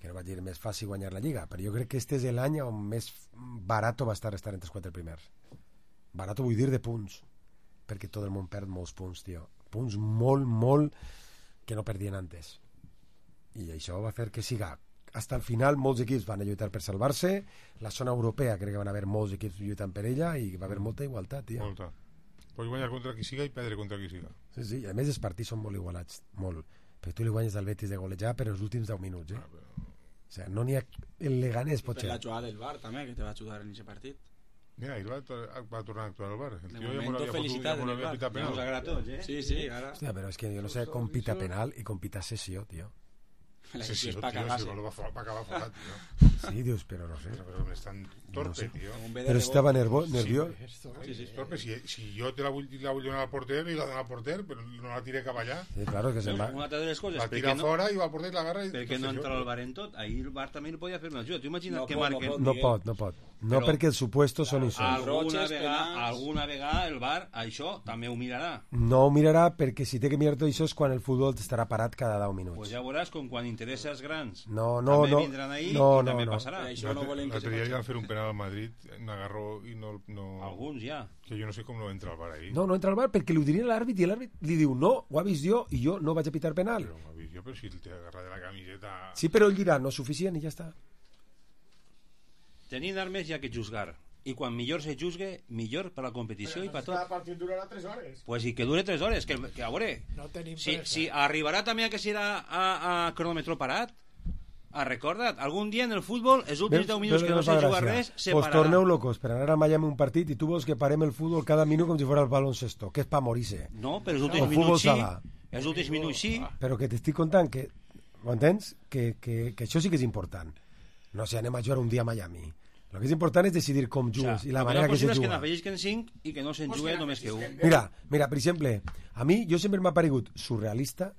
que no vaig dir més fàcil guanyar la Lliga, però jo crec que este és l'any on més barato va estar entre els 4 primers. Barato vull dir de punts, perquè tot el món perd molts punts, tio. Punts molt que no perdien antes. I això va fer que siga hasta el final molts equips van a lluitar per salvar-se, la zona europea crec que van haver molts equips lluitant per ella i va haver molta igualtat, tio. Molta. Pots guanyar contra qui siga i perdre contra qui siga. Sí, a més els partits són molt igualats, molt. Perquè tu li guanyes al Betis de golejar per els últims 10 minuts, O sigui, no n'hi ha... El Leganés pot ser. Per la jugada del VAR també, que te va ajudar en aquest partit. Mira, ell va tornar a actuar al bar. De momento felicitat en el bar. Nos agrada tots, Sí, ara. Hòstia, però és que jo no sé com pita penal i com pita sessió, tio. Sí, es para tío, cagarse. va a acabar fuera, tío. Sí, Dios, pero no sé. Pero es tan torpe, No sé. tío. Pero estava nervioso. Sí, és torpe. Si jo te la vull donar al porter, i la dono al porter, però no la tiré cap allà. Sí, claro, que se'n va. Una altra de les coses, La tira fora i va al porter i l'agarra. Perquè no entra el VAR en tot. Ahir el VAR també el podia fer una ajuda. Tu imagina't que marquen... No pot. No, perquè els supuestos són això. Alguna vegada el VAR això també ho mirarà. No ho mirarà perquè si té que mirar tot això és quan el futbol estarà parat cada 10 minuts. Pues ja veuràs com quan interessa als grans també vindran ahí i també passarà. L'altre dia li van fer un penal al Madrid, n'agarró i no... Alguns ja. Que jo no sé com no entra al VAR ahí. No entra al VAR perquè li ho diria l'àrbit i l'àrbit li diu no, ho ha vist jo i jo no vaig a pitar penal. Però ho ha vist jo, però si el té agarrat de la camiseta... Sí, però el dirà no és suficient i ja està. Tenint armes hi ha que juzgar. I quan millor se juzgue, millor per la competició i per tot. El partit durarà 3 hores. Pues i que dure 3 hores, que a veure, No tenim si arribarà també a que serà a cronòmetre parat, recorda't, algun dia en el futbol, els últims 10 minuts que no se juga res, se pues pararà. torneu locos per anar a Miami un partit i tu vols que parem el futbol cada minut com si fos el baloncesto, que és pa morir-se. No, però els últims minuts sí. Els últims minuts sí. Però que t'estic contant que, ho entens? Que això sí que és important. No sé, anem a jugar un dia a Miami. El que és important és decidir com jugues i la manera que se juga. Que n'afegisquen 5 i que no se'n jugui només que 1. Mira, per exemple, a mi jo sempre m'ha paregut surrealista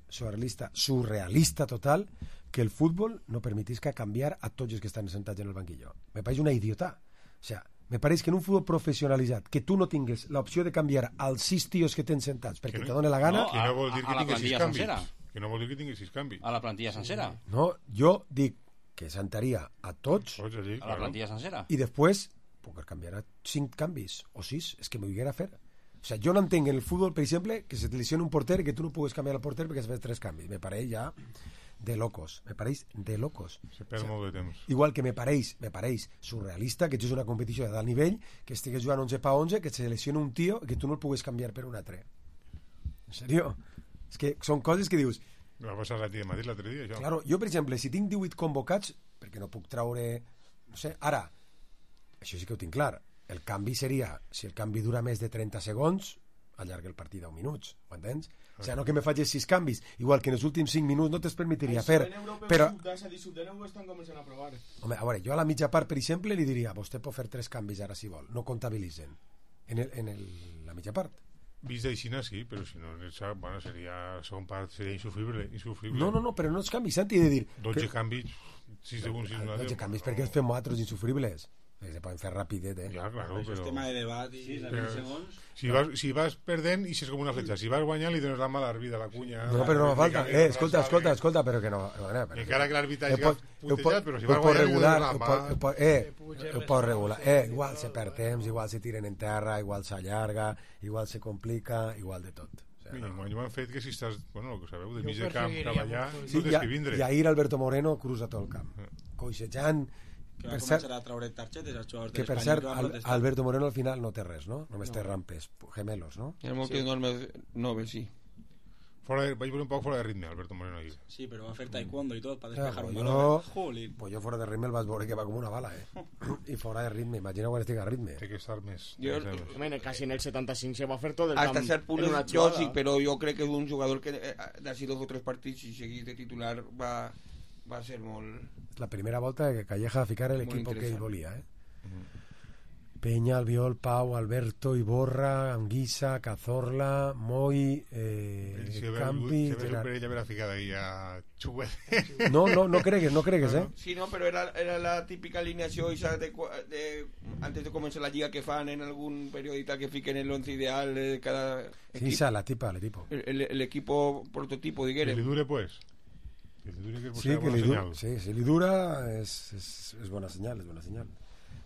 total que el futbol no permetisca canviar a tots els que estan sentats en el banquillo. Me pareix una idiota. O sea, me pareix que en un futbol professionalitzat que tu no tingues l'opció de canviar als 6 tios que tens sentats perquè te dona la gana... Que no vol dir que tinguis 6 canvis. Que no vol dir que tinguis 6 canvis. A la plantilla sencera. No, jo dic que sentaria a tots a la plantilla sencera i després puc canviar a 5 canvis o 6, és que m'ho haguera a fer. O sea, jo no entenc en el futbol, per exemple, que se te lesiona un porter i que tu no pugues canviar el porter perquè has fet 3 canvis. Me pareix ja de locos. Se perd molt de temps. Igual que me pareix surrealista que ets una competició de dalt nivell, que estigues jugant 11 pa 11, que se lesiona un tio i que tu no el pugues canviar per un altre. En sèrio? És que són coses que dius... Va passar a ti de Madrid l'altre dia, això. Claro, jo, per exemple, si tinc 18 convocats, perquè no puc traure... No sé, ara, això sí que ho tinc clar. El canvi seria, si el canvi dura més de 30 segons, allarga el partit 10 minuts, ho entens? O sigui, no que me facis 6 canvis, igual que en els últims 5 minuts no te'ls permetiria fer. Però... estan començant a provar. Home, a veure, jo a la mitja part, per exemple, li diria, vostè pot fer 3 canvis ara si vol, no comptabilitzen la mitja part. Vist d'aixina sí, però si no bueno, seria segon part seria insufrible. No, però no els canvis, Santi, de dir 12 canvis 6 segons 12 canvis perquè els fem altres insufribles que se poden fer rapidet, ja, claro, però... és tema de debat i... si vas perdent i si és com una fletxa, si vas guanyant li dones la mala arbida a la cunya però no fa falta, escolta però que no encara que l'arbitratge ha putejat, però si vas guanyant li dones la mà ho pot regular, igual se perd temps, igual se tiren en terra, igual s'allarga, igual se complica, igual de tot. Mira, m'han fet que si estàs, bueno, el que sabeu, de mig de camp cap allà, sí, no tens que vindre. I ahir Alberto Moreno cruza tot el camp, coixejant. Que va començar a traure targetes als jugadors de l'Espanyol. Que per cert, Alberto Moreno al final no té res, no? Només té rampes, gemelos, no? Hi ha moltes normes noves, sí. Vaig veure un poc fora de ritme, Alberto Moreno ahí. Sí, però va fer taekwondo i tot per despejar un balón. Pues jo fora de ritme el vas veure que va com una bala, I fora de ritme, imagina quan estic a ritme. Té que estar més. Casi en el 75 se va fer tot el camp. Hasta cert punt jo sí, però jo crec que és un jugador que d'ací 2 o 3 partits si seguís de titular va ser molt... La primera volta que Calleja va ficar l'equip que ell volia, Peña, Albiol, Pau, Alberto, Iborra, Anguissa, Cazorla, Moi, Campi... Se ve ja verà ficada ahí a Chuguet. No cregues, Sí, no, però era la típica alineació antes de començar la lliga que fan en algun periodista que fiquen el 11 ideal de cada equip. Sí, la tipa. El equipo prototipo, diguérem. Que li dure, pues. Si li dura és bona senyal,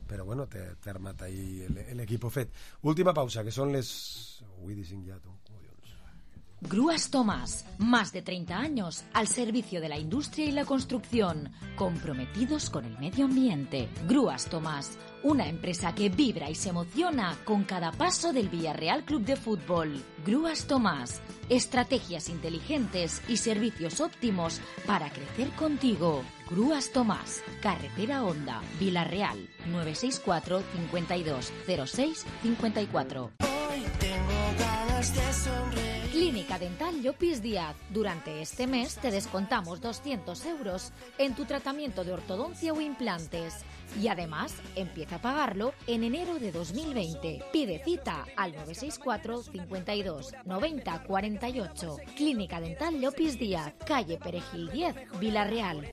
però bueno, té armat ahí l'equip fet. Última pausa, que són les... Avui dicen ja tu. Grúas Tomás, más de 30 años al servicio de la industria y la construcción, comprometidos con el medio ambiente. Grúas Tomás, una empresa que vibra y se emociona con cada paso del Villarreal Club de Fútbol. Grúas Tomás, estrategias inteligentes y servicios óptimos para crecer contigo. Grúas Tomás, Carretera Honda, Villarreal, 964 52 06 54. Hoy tengo ganas de sonreír. Clínica Dental Llopis Díaz. Durante este mes te descontamos 200 euros en tu tratamiento de ortodoncia o implantes. Y además, empieza a pagarlo en enero de 2020. Pide cita al 964 52 90 48. Clínica Dental Llopis Díaz, calle Perejil 10, Vila-real.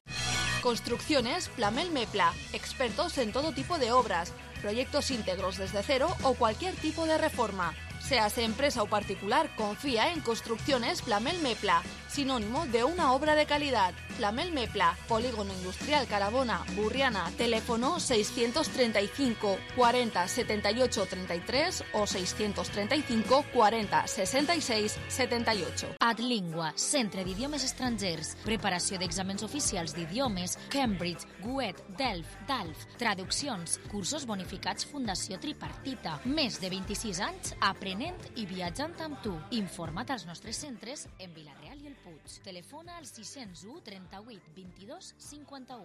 Construcciones Plamel Mepla, expertos en todo tipo de obras, proyectos íntegros desde cero o cualquier tipo de reforma. Seas empresa o particular, confía en Construcciones Plamel Mepla, sinónimo de una obra de calidad. Plamel Mepla, Polígono Industrial Carabona, Burriana, teléfono 635 40 78 33 o 635 40 66 78. Adlingua, Centre d'Idiomes Estrangers, preparació d'exàmens oficials d'idiomes, Cambridge, GUET, DALF, traduccions, cursos bonificats Fundació Tripartita, més de 26 anys aprenent i viatjant amb tu. Informa't als nostres centres en Vila-real i el Puig. Telefona al 601 38 22 51.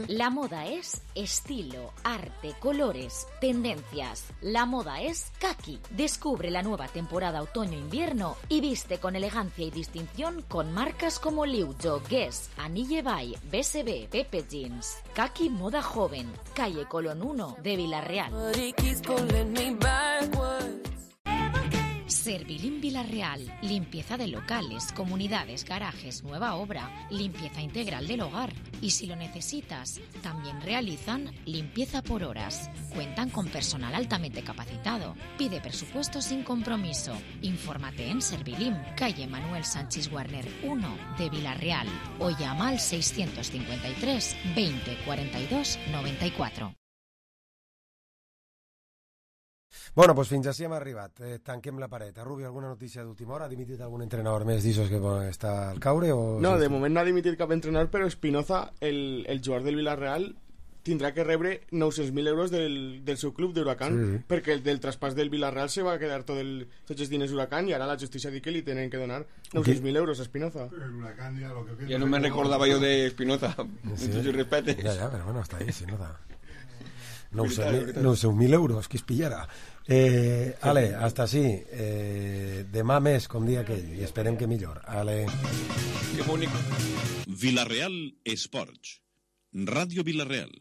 La moda es estilo, arte, colores, tendencias. La moda es Kaki. Descubre la nueva temporada otoño-invierno y viste con elegancia y distinción con marcas como Liujo, Guess, Anille Bay, BSB, Pepe Jeans. Kaki Moda Joven, calle Colón 1 de Vila-real. Servilim Vila-real, limpieza de locales, comunidades, garajes, nueva obra, limpieza integral del hogar. Y si lo necesitas, también realizan limpieza por horas. Cuentan con personal altamente capacitado. Pide presupuesto sin compromiso. Infórmate en Servilim, calle Manuel Sánchez Warner 1 de Vila-real o llama al 653 20 42 94. Bueno, doncs fins així hem arribat. Tanquem la paret. Rubio, alguna notícia d'última hora? Ha dimitit algun entrenador més d'aixòs que està al caure? O... No, de moment no ha dimitit cap entrenador, però Espinoza, el jugador del Villarreal, tindrà que rebre 900.000 euros del seu club d'Huracán, perquè el del traspàs del Villarreal se va quedar tots els diners d'Huracán i ara la justícia diu que li tenen que donar 900.000 euros a Espinoza. Ja no me recordava jo de Espinoza, muchos respetes. Ja, però bueno, està ahí, Espinoza. 900.000 euros, qui es pillarà. Ale, hasta així. Demà més, com dia aquell, i esperem que millor. Ale. Villarreal Esports. Ràdio Villarreal.